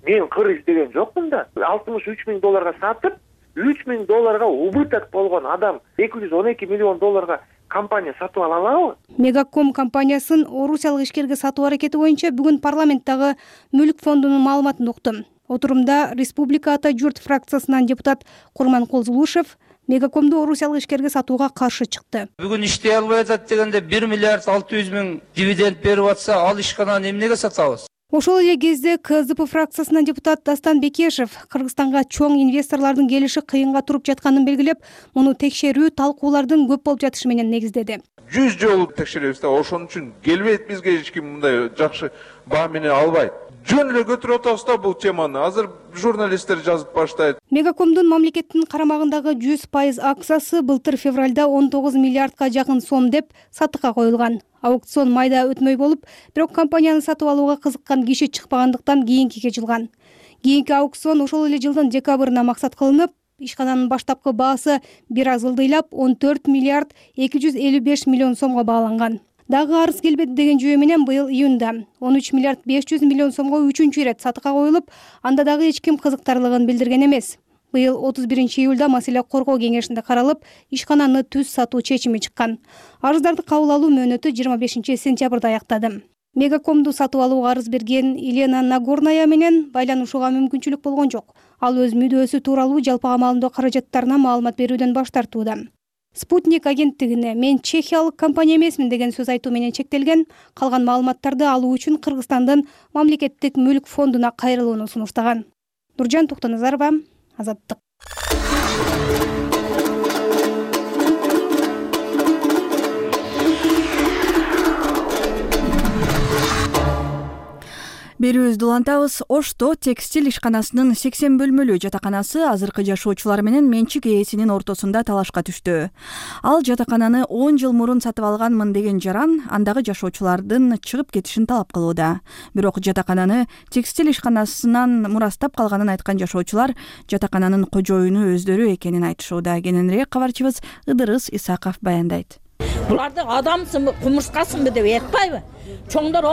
Мен кыр издеген жокмун да. $63 000 сатып, $3 000 убыток болгон адам $212 миллион компания сатып ала алабы? Мегаком компаниясын орусиялык ишкерге сатуу аракети боюнча бүгүн парламенттагы мүлк фондунун маалыматын уктум. Отурумда Республика Ата журт фракциясынан депутат Курманкул Зулушев Мегакомду орусиялык ишкерге сатууга каршы чыкты. Бүгүн иштей албай атат дегенде 1 миллиард 600 миң дивиденд берип атса, ал ишкананы эмнеге сатабыз? Ошол эле кезде КСДП фракциясынан депутат Дастан Бекешев Кыргызстанга чоң инвесторлордун келиши кыйынга туруп жатканын белгилеп, муну текшерүү талкуулардын көп болуп жатышы менен негиздеди. 100 жолу текшеребиз да, ошон үчүн келбейт бизге эч ким мындай жакшы баа менен албайт. Жөн эле көтөрүп атабыз да бул теманы. Азыр журналисттер жазып баштайт. Мегакомдун мамлекеттин карамагындагы 100% акциясы былтыр февралда 19 миллиардка жакын сом деп сатыкка коюлган. Аукцион майда өтмөй болуп, бирок компанияны сатып алууга кызыккан киши чыкпагандыктан кийинкиге жылган. Кийинки аукцион ошол эле жылдын декабрына максат кылынып, ишкананын баштапкы баасы бир аз ылдыйлап 14 миллиард 255 миллион сомго бааланган. Дагы арыз келбеди деген жүйө менен быйыл июнда 13 миллиард 500 миллион сомго үчүнчү ирет сатыкка коюлуп, анда дагы эч ким кызыктарлыгын билдирген эмес. Быйыл 31 июлда маселе коргоо кеңешинде каралып, ишкананы түз сатуу чечими чыккан. Арыздарды кабыл алуу мөөнөтү 25 сентябрда аяктады. Мегакомду сатып алууга арыз берген Елена Нагорная менен байланышууга мүмкүнчүлүк болгон жок. Ал өз мүдөөсү тууралуу жалпыга маалымдоо каражаттарына маалымат берүүдөн баш тартууда. Спутник агенттигине мен чехиялык компания эмесмин деген сөз айтуу менен чектелген, калган маалыматтарды алуу үчүн Кыргызстандын мамлекеттик мүлк фондуна кайрылууну сунуштаган. Нуржан Токтоназарова, Азаттык. Берүүбүздү улантабыз. Ошто текстиль ишканасынын 80 бөлмөлүү жатаканасы азыркы жашоочулар менен менчик ээсинин ортосунда талашка түштү. Ал жатакананы 10 жыл мурун сатып алганмын деген жаран андагы жашоочулардын чыгып кетишин талап кылууда. Бирок жатакананы текстиль ишканасынан мурастап калганын айткан жашоочулар жатакананын кожоюну өздөрү экенин айтышууда. Кененирээк кабарчыбыз Ыдырыс Исаков баяндайт. Буларды адамсыңбы, кумурскасыңбы деп айтпайбы? Чоңдор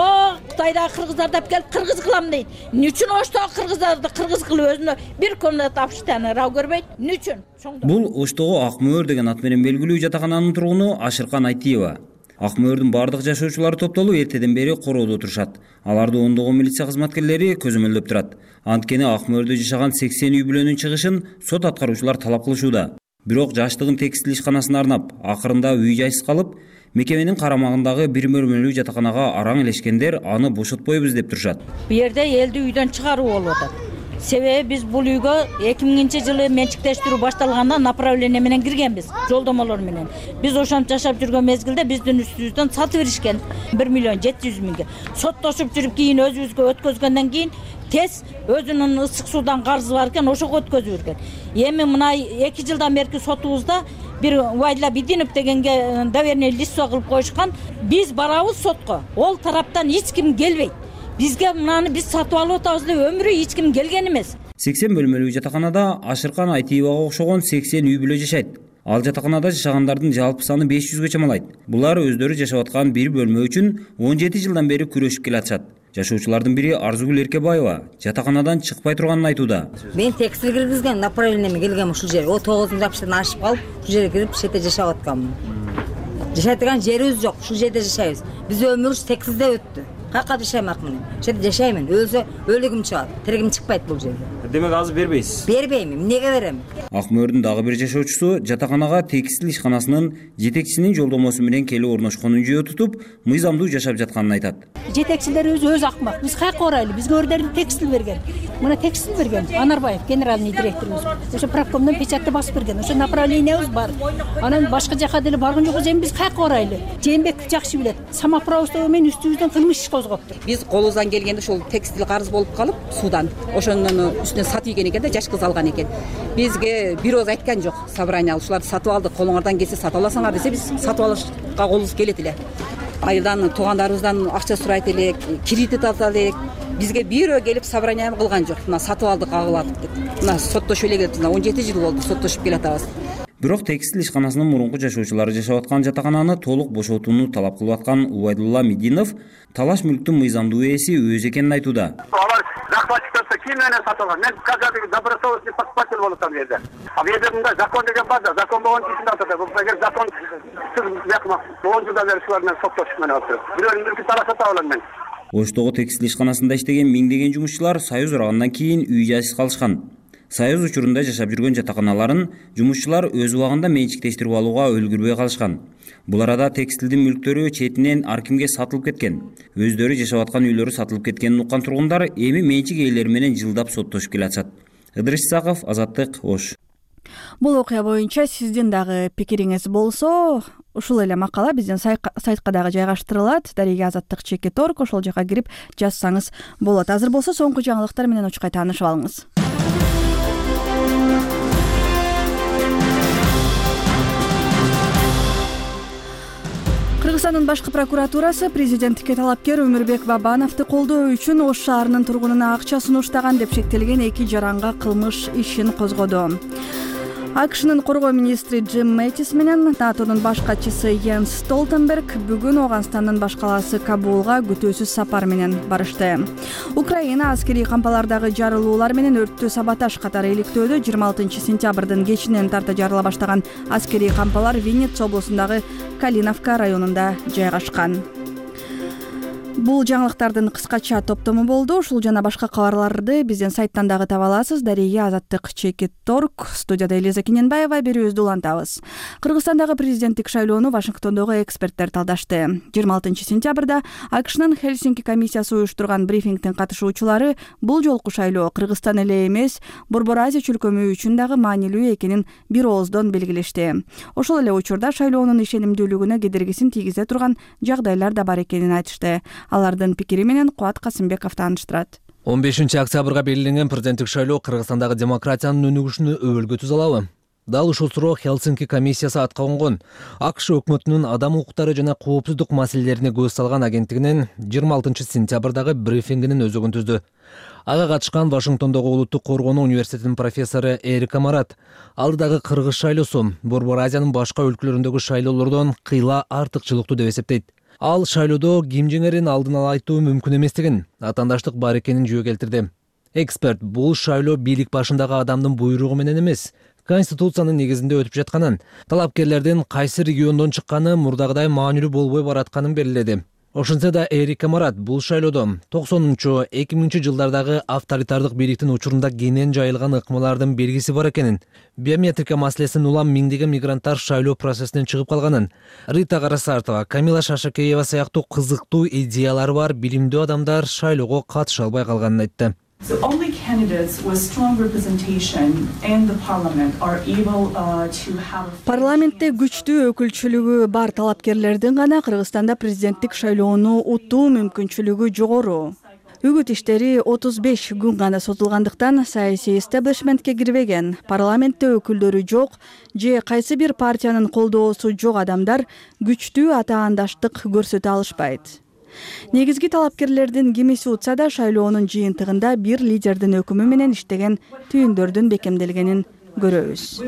Кытайдагы кыргыздарды алып келип кыргыз кылам дейт. Эмне үчүн Оштогу кыргыздарды кыргыз кылып өзүнө бир комната тапшыртаны рав көрбөйт? Эмне үчүн? Бул Оштогу Ак мөөр деген ат менен белгилүү жатакананын тургуну Ашыркан Айтиева. Ак мөөрдүн бардык жашоочулары топтолуп эртеден бери короодо отурушат. Аларды ондогон милиция кызматкерлери көзөмөлдөп турат. Анткени Ак мөөрдө жашаган 80 үй бүлөнүн чыгышын сот аткаруучулар талап кылышууда. Бирок жаштыгын текстиль ишканасына арнап, акырында үй жайсыз калып, Мекеменин карамагындагы бир бөлмөлүү жатаканага араң илешкендер аны бошотпойбуз деп турушат. Бу жерде элди үйдөн чыгаруу болуп атат. Себеби биз бул үйгө 2000-жылы менчиктештирүү башталганда направление менен киргенбиз, жолдомолор менен. Биз ошентип жашап жүргөн мезгилде биздин үстүбүздөн сатып беришкен 1.700.000. Соттошуп жүрүп кийин өзүбүзгө өткөзгөндөн кийин тез өзүнүн ысык суудан карызы бар экен, ошого өткөзүп берген. Эми мына 2 жылдан берки сотубузда бир Убайдулла Бидинов дегенге доверенный листво кылып коюшкан. Биз барабыз сотко. Ол тараптан эч ким келбейт. Бизге мынаны биз сатып алып атабыз деп өмүрү эч ким келген эмес. 80 бөлмөлүү жатаканада Ашыркан Айтиевага окшогон 80 үй бүлө жашайт. Ал жатаканада жашагандардын жалпы саны 500гө чамалайт. Булар өздөрү жашап аткан бир бөлмө үчүн 17 жылдан бери күрөшүп келатышат. Жашоочулардын бири Арзугүл Эркебаева жатаканадан чыкпай турганын айтууда. Мен текстил киргизген, направлениеме келгем ушул жер. 9 апштан ашып калып, ушул жерге кирип шетте жашап атканмын. Жашай турган жерибиз жок, ушул жерде жашайбыз. Биз өмүрүбүз текстилде өттү. Кайка жашаймакмын. Ушул жерде жашаймын. Өлсө өлүгүм чыгат. Тиригим чыкпайт бул жерде. Демек азыр бербейсиз? Бербейм. Эмнеге берем? Ак мөөрдүн дагы бир жашоочусу жатаканага текстил ишканасынын жетекчисинин жолдомосу менен келип орношконун жөө тутуп, мыйзамдуу жашап жатканын айтат. Жетекчилерибиз өзү акмак. Биз кайка барайлы? Бизге өздөрү текстил берген. Мына текстил берген Анарбаев, генеральный директорубуз. Ошо правкомдон печатты басып берген. Ошо направлениябыз бар. Анан башка жака деле барган жокпуз. Эми биз кайка барайлы? Жээнбек жакшы билет. Самоуправство менен үстүбүздөн кылмыш иш козгоптур. Биз колубуздан келгенде ошол текстил карыз болуп калып суудан. Ошонун үстүнө сатып ийген экен да, жаш кыз алган экен. Бизге бир ооз айткан жок. Собрание ушуларды сатып алдык, колуңардан келсе сатып аласыңар десе, биз сатып алышка колубуз келет эле. Айылдан туугандарыбыздан акча сурайт элек, кредит алат элек. Бизге бирөө келип собрание кылган жок. Мына сатып алдык, агыладык деп. Мына соттошуп эле келип, 17 жыл болду соттошуп келатабыз. Бирок текстил ишканасынын мурунку жашоочулары жашап аткан жатакананы толук бошотууну талап кылып аткан Убайдулла Мединов талаш мүлктүн мыйзамдуу ээси өзү экенин айтууда. Алар захватчиктер ким менен сатып алган? Мен казір добросовестный покупатель болуп атам жерде. А бу жерде мындай закон деген бар да, закон болгон кишини атат. Эгер закон 10 жылдан бери шулар менен соттошуп менен атат. Бирөөнүн мүлкүн талашат алам мен. Оштогу текстил ишканасында иштеген миңдеген жумушчулар Союз урагандан кийин үй жайсыз калышкан. Союз учурунда жашап жүргөн жатаканаларын жумушчулар өз убагында менчиктештирип алууга өлгүрбөй калышкан. Бул арада текстилдин мүлктөрү четинен ар кимге сатылып кеткен. Өздөрү жашап аткан үйлөрү сатылып кеткенин уккан тургундар эми менчик ээлери менен жылдап соттошуп келатышат. Ыдырыш Исаков, Азаттык, Ош. Бул окуя боюнча сиздин дагы пикириңиз болсо, ушул эле макала биздин сайтка дагы жайгаштырылат. Дареге Азаттык.org, ошол жака кирип жазсаңыз болот. Азыр болсо соңку жаңылыктар менен учкай таанышып алыңыз. Кыргызстандын башкы прокуратурасы президенттикке талапкер Өмүрбек Бабановду колдоо үчүн Ош шаарынын тургунуна акча сунуштаган деп шектелген 2 жаранга кылмыш ишин козгоду. АКШнын коргоо министри Джим Мэттис менен НАТОнун баш катчысы Йенс Столтенберг бүгүн Ооганстандын баш калаасы Кабулга күтүүсүз сапар менен барышты. Украина аскерий кампалардагы жарылуулар менен өрттү саботаж катары иликтөөдө 26 сентябрдын кечинен тарта жарыла баштаган аскерий кампалар Винница облусундагы Калиновка районунда жайгашкан. Бул жаңылыктардын кыскача топтому болду. Ушул жана башка кабарларды биздин сайттан дагы таба аласыз. Дареге Азаттык.org. Студияда Элиза Кененбаева, берүүбүздү улантабыз. Кыргызстандагы президенттик шайлоону Вашингтондогу эксперттер талдашты. 26 сентябрда АКШнын Хельсинки комиссиясы уюштурган брифингдин катышуучулары бул жолку шайлоо Кыргызстан эле эмес, Борбор Азия чөлкөмү үчүн дагы маанилүү экенин бир ооздон белгилешти. Ошол эле учурда шайлоонун ишенимдүүлүгүнө кедергисин тийгизе турган жагдайлар да бар экенин айтышты. Алардын пикири менен Кубат Касымбеков тааныштырат. 15 октябрга белгиленген президенттик шайлоо Кыргызстандагы демократиянын өнүгүшүнө өбөлгө тузалабы? Дал ушул суроо Хелсинки комиссиясы атка конгон. АКШ өкмөтүнүн адам укуктары жана коопсуздук маселелерине көз салган агенттигинин 26 сентябрдагы брифингинин өзөгүн түздү. Ага катышкан Вашингтондогу Улуттук коргонуу университетинин профессору Эрика Марат алдыдагы кыргыз шайлоосу Борбор Азиянын башка өлкөлөрүндөгү шайлоолордон кыйла артыкчылыктуу деп эсептейт. Ал шайлоодо ким жеңерин алдын ала айтуу мүмкүн эместигин, атаандаштык бар экенин жөө келтирди. Эксперт бул шайлоо бийлик башындагы адамдын буйругу менен эмес, Конституциянын негизинде өтүп жатканын, талапкерлердин кайсы региондон чыкканы мурдагыдай маанилүү болбой баратканын белгиледи. Ошентсе да Эрика Марат бул шайлоодо 90-2000 жылдардагы авторитардык бийликтин учурунда кенен жайылган ыкмалардын белгиси бар экенин, биометрика маселесин улам миңдеген мигранттар шайлоо процессинен чыгып калганын, Рита Карасартова, Камила Шашакеева сыяктуу кызыктуу идеялары бар билимдүү адамдар шайлоого катыша албай калганын айтты. So only candidates with strong representation in the parliament are able to have. Парламентте күчтүү өкүлчүлүгү бар талапкерлердин гана Кыргызстанда президенттик шайлоону утуу мүмкүнчүлүгү жогору. Үгүт иштери 35 күн гана созулгандыктан саясий эстаблишментке кирбеген, парламентте өкүлдөрү жок же кайсы бир партиянын колдоосу жок адамдар күчтүү атаандаштык көрсөтө алышпайт. Негизги талапкерлердин кимиси утса да шайлоонун жыйынтыгында бир лидердин өкүмү менен иштеген түйүндөрдүн бекемделгенин көрөбүз.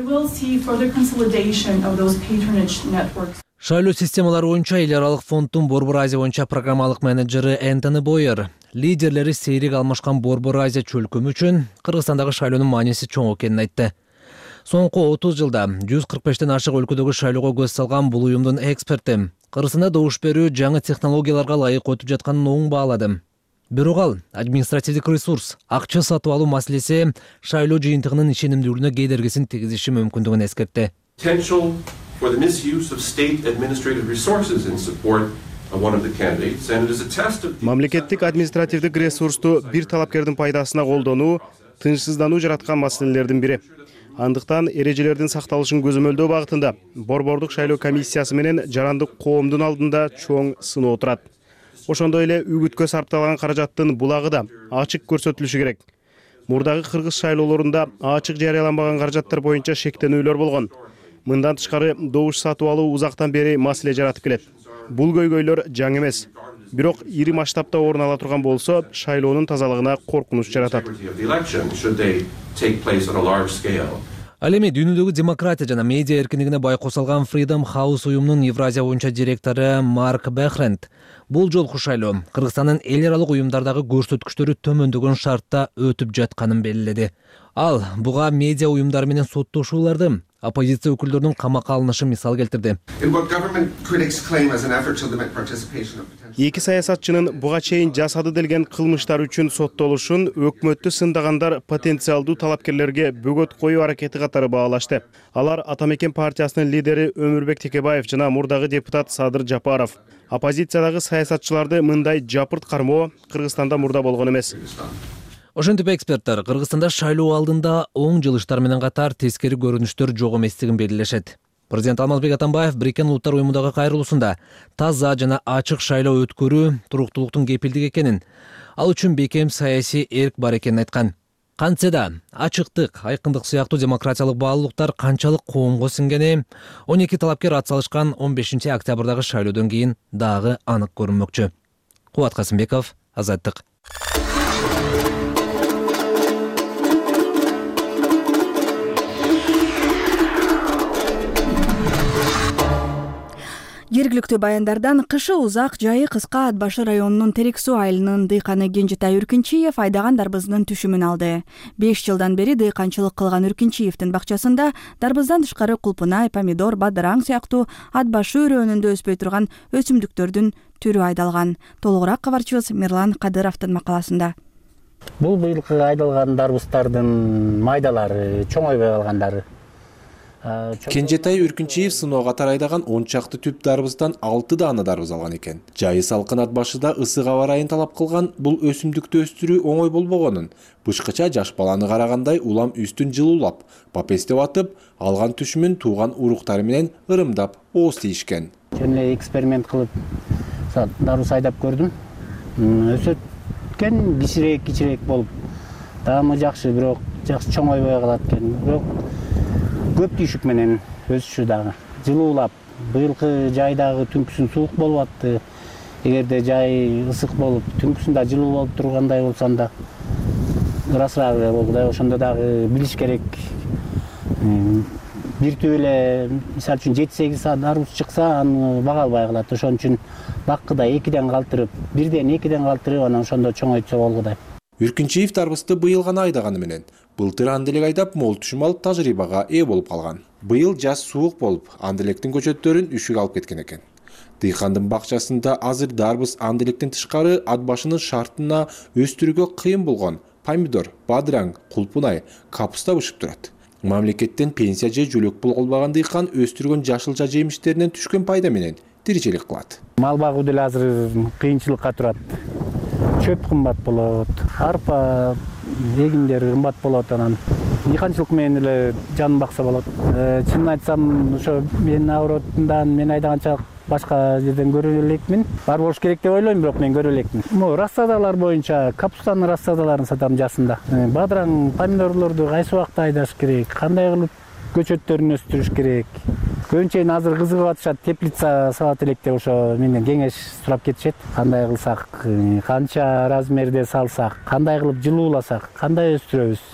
Шайлоо системалары боюнча эл аралык фонддун Борбор Азия боюнча программалык менеджери Энтони Бойер лидерлери сейрек алмашкан Борбор Азия чөлкөмү үчүн Кыргызстандагы шайлоонун мааниси чоң экенин айтты. Соңку 30 жылда 145тен ашык өлкөдөгү шайлоого көз салган бул уюмдун эксперти Кыргызстанда добуш берүү жаңы технологияларга ылайык өтүп жатканын оң баалады. Бирок ал административдик ресурс, акча сатып алуу маселеси шайлоо жыйынтыгынын ишенимдүүлүгүнө кедергисин тийгизиши мүмкүндүгүн эскертти. Мамлекеттик административдик ресурсту бир талапкердин пайдасына колдонуу тынчсыздануу жараткан маселелердин бири. Андыктан эрежелердин сакталышын көзөмөлдөө багытында Борбордук шайлоо комиссиясы менен жарандык коомдун алдында чоң сыноо турат. Ошондой эле үгүткө сарпталган каражаттын булагы да ачык көрсөтүлүшү керек. Мурдагы кыргыз шайлоолорунда ачык жарыяланбаган каражаттар боюнча шектенүүлөр болгон. Мындан тышкары добуш сатып алуу узактан бери маселе жаратып келет. Бул көйгөйлөр жаңы эмес. Бирок ири масштабта орун ала турган болсо, шайлоонун тазалыгына коркунуч жаратат. Ал эми дүйнөдөгү демократия жана медиа эркиндигине байкоо салган Freedom House уюмунун Евразия боюнча директору Марк Бехренд бул жолку шайлоо Кыргызстандын эл аралык уюмдардагы көрсөткүчтөрү төмөндөгөн шартта өтүп жатканын белгиледи. Ал буга медиа уюмдары менен соттошууларды, оппозиция өкүлдөрүнүн камакка алынышын мисал келтирди. Эки саясатчынын буга чейин жасады делген кылмыштар үчүн соттолушун өкмөттү сындагандар потенциалдуу талапкерлерге бөгөт коюу аракети катары баалашты. Алар Ата Мекен партиясынын лидери Өмүрбек Текебаев жана мурдагы депутат Садыр Жапаров. Оппозициядагы саясатчыларды мындай жапырт кармоо Кыргызстанда мурда болгон эмес. Ошентип эксперттер Кыргызстанда шайлоо алдында оң жылыштар менен катар тескери көрүнүштөр жок эместигин белгилешет. Президент Алмазбек Атамбаев Бириккен Улуттар уюмундагы кайрылуусунда таза жана ачык шайлоо өткөрүү туруктуулуктун кепилдиги экенин, ал үчүн бекем саясий эрк бар экенин айткан. Кантсе да ачыктык, айкындык сыяктуу демократиялык баалуулуктар канчалык коомго сиңгени 12 талапкер ат салышкан 15 октябрдагы шайлоодон кийин дагы анык көрүнмөкчү. Кубат Касымбеков, Азаттык. Жергиликтүү баяндардан кышы узак, жайы кыска Ат Башы районунун Терек Суу айылынын дыйканы Кенжетай Үркүнчиев айдаган дарбызынын түшүмүн алды. 5 жылдан бери дыйканчылык кылган Үркүнчиевдин бакчасында дарбыздан тышкары кулпунай, помидор, бадыраң сыяктуу Ат Башы өрөөнүндө өспөй турган өсүмдүктөрдүн түрү айдалган. Толугураак кабарчыбыз Мирлан Кадыровдун макаласында. Бул быйылкы айдалган дарбыздардын майдалары, чоңойбой калгандары. Кенжетай Үркүнчиев сыноо катар айдаган 10 чакты түп дарбыздан 6 даана дарбыз алган экен. Жайы салкын Ат Башыда ысык аба ырайын талап кылган бул өсүмдүктү өстүрүү оңой болбогонун, бышкыча жаш баланы карагандай улам үстүн жылуулап, папестеп атып, алган түшүмүн тууган уруктары менен ырымдап ооз тийишкен. Жөн эле эксперимент кылып дарбыз айдап көрдүм. Өсөткөн кичирээк болуп, даамы жакшы, бирок жакшы чоңойбой калат экен. Бирок көп түйшүк менен өсүшү дагы жылуулап, быйылкы жайдагы түнкүсүн суук болуп атты. Эгерде жай ысык болуп, түнкүсүндө жылуу болуп тургандай болсом да ырасыраак болду да, ошондо дагы билиш керек. Бир түп эле, мисалы үчүн 7-8 саат дарбыз чыкса, аны бага албай калат. Ошон үчүн баккыда 2ден калтырып, 1ден 2ден калтырып, анан ошондо чоңойтса болгудай. Үркүнчиев дарбызды быйыл гана айдаганы менен былтыр анделек айдап мол түшүм алып тажрыйбага ээ болуп калган. Быйыл жаз суук болуп, анделектин көчөттөрүн үшүк алып кеткен экен. Дыйкандын бакчасында азыр дарбыз анда электен тышкары ат башынын шартына өстүрүүгө кыйын болгон помидор, бадыраң, кулпунай, капуста бышып турат. Мамлекеттен пенсия же жөлөк пул албаган дыйкан өстүргөн жашылча жемиштеринен түшкөн пайда менен тиричилик кылат. Мал багуу деле азыр кыйынчылыкка турат. Чөп кымбат болот, арпа, эгиндер кымбат болот, анан дыйканчылык менен эле жанын бакса болот. Чынын айтсам, ошо мен Авротундан мен айдаганча башка жерден көрө элекмин. Бар болуш керек деп ойлойм, бирок мен көрө элекмин. Рассадалар боюнча капустанын рассадаларын сатам жасында. Бадыраң, помидорлорду кайсы убакта айдаш керек, кандай кылып көчөттөрүн өстүрүш керек. Көбүнчө азыр кызыгып атышат, теплица салат элек деп ошо менден кеңеш сурап кетишет. Кандай кылсак, канча размерде салсак, кандай кылып жылууласак, кандай өстүрөбүз.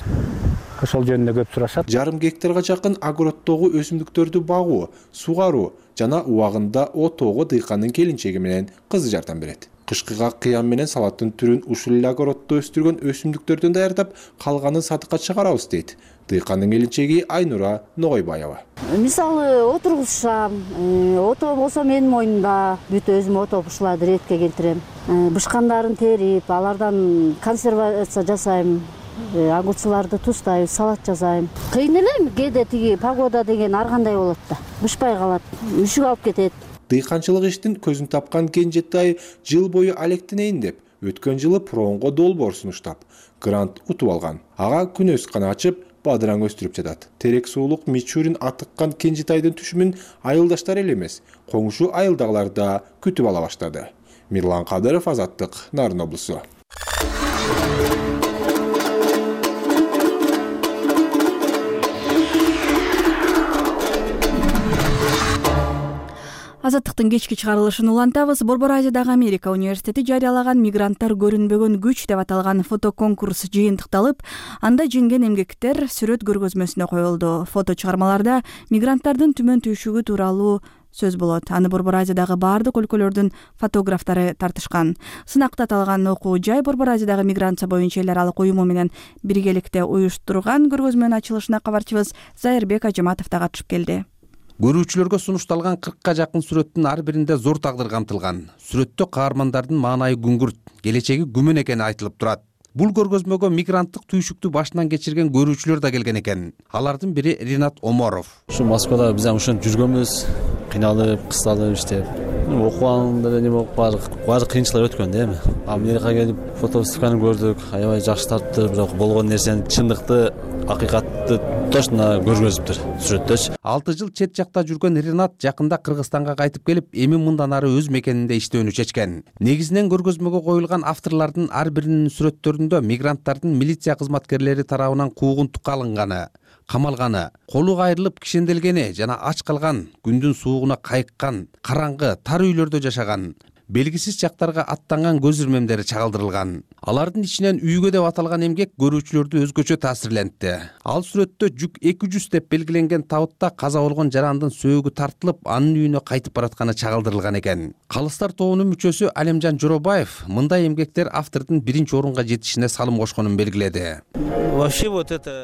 Ошол жөнүндө көп сурашат. Жарым гектарга жакын огороддогу өсүмдүктөрдү багуу, сугаруу жана убагында отоого дыйкандын келинчеги менен кызы жардам берет. Кышкыга кыян менен салаттын түрүн ушул эле огороддо өстүргөн өсүмдүктөрдөн даярдап, калганын сатыкка чыгарабыз дейт дыйкандын келинчеги Айнура Ногойбаева. Мисалы отургузсам, ото болсо менин мойнумда, бүт өзүм ото бушларды ретке келтирем. Бышкандарын терип, алардан консервация жасайм. Огурчуларды тустайбыз, салат жасайм. Кыйын эле, кээде тиги погода деген ар кандай болот да. Бышпай калат, үшүк алып кетет. Дыйканчылык иштин көзүн тапкан Кенжетай жыл бою алектенейин деп, өткөн жылы Пронго долбоор сунуштап, грант утуп алган. Ага күнөс гана ачып, бадыраң өстүрүп жатат. Терек суулук Мичурин атыккан Кенжетайдын түшүмүн айылдаштар эле эмес, коңшу айылдагылар да күтүп ала баштады. Мирлан Кадыров, Азаттык, Нарын облусу. Азаттыктын кечки чыгарылышын улантабыз. Борбор Азиядагы Америка университети жарыялаган мигранттар көрүнбөгөн күч деп аталган фотоконкурс жыйынтыкталып, анда жеңген эмгектер сүрөт көргөзмөсүнө коюлду. Фото чыгармаларда мигранттардын түмөн түйшүгү тууралуу сөз болот. Аны Борбор Азиядагы баардык өлкөлөрдүн фотографтары тартышкан. Сынакта аталган окуу жай Борбор Азиядагы миграция боюнча эл аралык уюму менен биргеликте уюштурган. Көргөзмөнүн ачылышына кабарчыбыз Зайырбек Ажыматов да катышып келди. Көрүүчүлөргө сунушталган 40ка жакын сүрөттүн ар биринде зор тагдыр камтылган. Сүрөттө каармандардын маанайы күңгүрт, келечеги күмөн экени айтылып турат. Бул көргөзмөгө мигранттык түйшүктү башынан кечирген көрүүчүлөр да келген экен. Алардын бири Ринат Оморов. Ушу Москвада биз ушинтип жүргөнбүз, кыйналып, кысталып иштеп. Окуганда эле баары кыйынчылык өткөн да эми. Америкага келип фотовыставканы көрдүк, аябай жакшы тартты, бирок болгон нерсени чындыкты, акыйкатты точно көргөзүптүр сүрөттөчү. 6 жыл чет жакта жүргөн Ринат жакында Кыргызстанга кайтып келип, эми мындан ары өз мекенинде иштөөнү чечкен. Негизинен көргөзмөгө коюлган авторлордун ар биринин сүрөттөрүндө мигранттардын милиция кызматкерлери тарабынан куугунтукка алынганы, камалганы, колу кайрылып кишенделгени жана ач калган, күндүн суугуна кайыккан, караңгы, тар үйлөрдө жашаган, белгисиз жактарга аттанган көз ирмемдери чагылдырылган. Алардын ичинен үйгө деп аталган эмгек көрүүчүлөрдү өзгөчө таасирлентти. Ал сүрөттө жүк 200 деп белгиленген табытта каза болгон жарандын сөөгү тартылып, анын үйүнө кайтып баратканы чагылдырылган экен. Калыстар тобунун мүчөсү Алемжан Жоробаев мындай эмгектер автордун биринчи орунга жетишине салым кошконун белгиледи.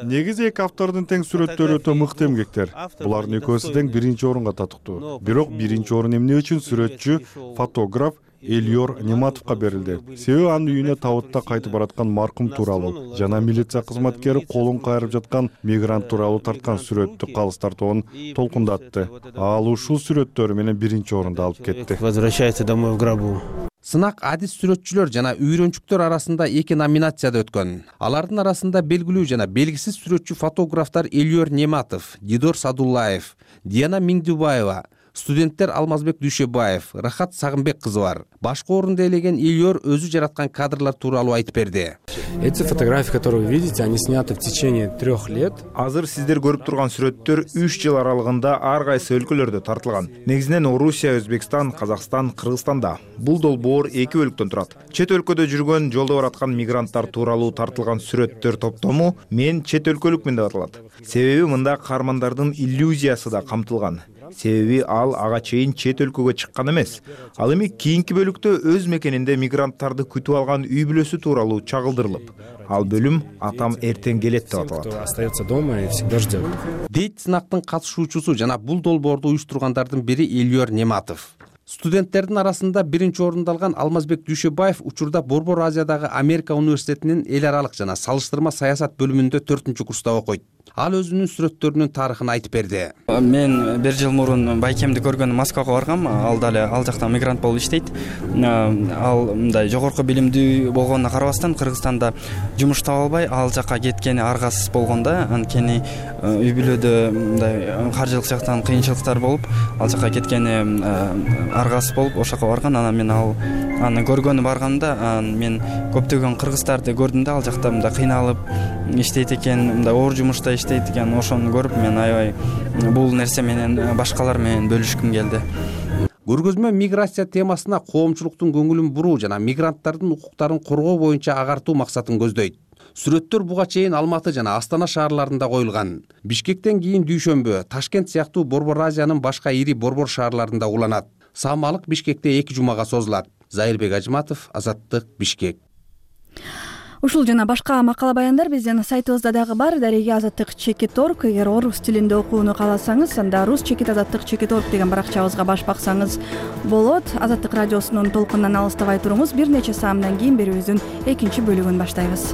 Негизи эки автордун тең сүрөттөрү өтө мыкты эмгектер. Булардын экөөсү тең биринчи орунга татыктуу. Бирок биринчи орун эмне үчүн сүрөтчү, фотограф Эльор Нематовго берилди. Себеби анын үйүнө табытта кайтып бараткан маркум тууралуу жана милиция кызматкери колун кайрып жаткан мигрант тууралуу тарткан сүрөттү калыстар тобун толкундатты. Ал ушул сүрөттөрү менен биринчи орунду алып кетти. Возвращается домой в гробу. Сынак адис сүрөтчүлөр жана үйрөнчүктөр арасында 2 номинацияда өткөн. Алардын арасында белгилүү жана белгисиз сүрөтчү фотографтар Эльор Нематов, Дидор Садуллаев, Диана Миндубаева, студенттер Алмазбек Дүйшөбаев, Рахат Сагынбек кызы бар. Башкы орунду ээлеген Эльор өзү жараткан кадрлар тууралуу айтып берди. Эти фотографии, которые вы видите, они сняты в течение 3 лет. Азыр сиздер көрүп турган сүрөттөр 3 жыл аралыгында ар кайсы өлкөлөрдө тартылган. Негизинен Орусия, Өзбекстан, Казакстан, Кыргызстанда. Бул долбоор 2 бөлүктөн турат. Чет өлкөдө жүргөн, жолдо бараткан мигранттар тууралуу тартылган сүрөттөр топтому мен чет өлкөлүкмүн деп аталат. Себеби мында каармандардын иллюзиясы да камтылган. Себеби ал ага чейин чет өлкөгө чыккан эмес. Ал эми кийинки бөлүктө өз мекенинде мигранттарды күтүп алган үй бүлөсү тууралуу чагылдырылып, ал бөлүм атам эртең келет деп аталат. Остается дома и всегда ждет. Дейт сынактын катышуучусу жана бул долбоорду уюштургандардын бири Эльор Нематов. Студенттердин арасында биринчи орунду алган Алмазбек Дүйшөбаев учурда Борбор Азиядагы Америка университетинин эл аралык жана салыштырма саясат бөлүмүндө 4-курста окуйт. Ал өзүнүн сүрөттөрүнүн тарыхын айтып берди. Мен 1 жыл мурун байкемди көргөн Москвага баргам. Ал дали ал жакта мигрант болуп иштейт. Ал мындай жогорку билимдүү болгонуна карабастан Кыргызстанда жумуш таба албай ал жака кеткени аргасыз болгондо, анткени үй бүлөдө мындай каржылык жактан кыйынчылыктар болуп, ал жака кеткени аргасыз болуп ошол жака барган. Анан мен аны көргөнү барганда, мен көптөгөн кыргыздарды көрдүм да, ал жакта мындай кыйналып иштейт экен, мындай оор жумушта иштейт экен. Ошону көрүп мен аябай бул нерсе менен башкалар менен бөлүшкүм келди. Көргөзмө миграция темасына коомчулуктун көңүлүн буруу жана мигранттардын укуктарын коргоо боюнча агартуу максатын көздөйт. Сүрөттөр буга чейин Алматы жана Астана шаарларында коюлган. Бишкектен кийин Дүйшөмбү, Ташкент сыяктуу Борбор Азиянын башка ири борбор шаарларында уланат. Саамалык Бишкекте 2 жумага созулат. Зайырбек Ажматов, Азаттык, Бишкек. Ушул жана башка макала баяндар биздин сайтыбызда дагы бар. Дареги azattik.org. Эгер орус тилинде окууну кааласаңыз, анда rus-azattik.org деген баракчабызга баш баксаңыз болот. Азаттык радиосунун толкунунан алыстабай туруңуз. Бир нече саамдан кийин берүүбүздүн экинчи бөлүгүн баштайбыз.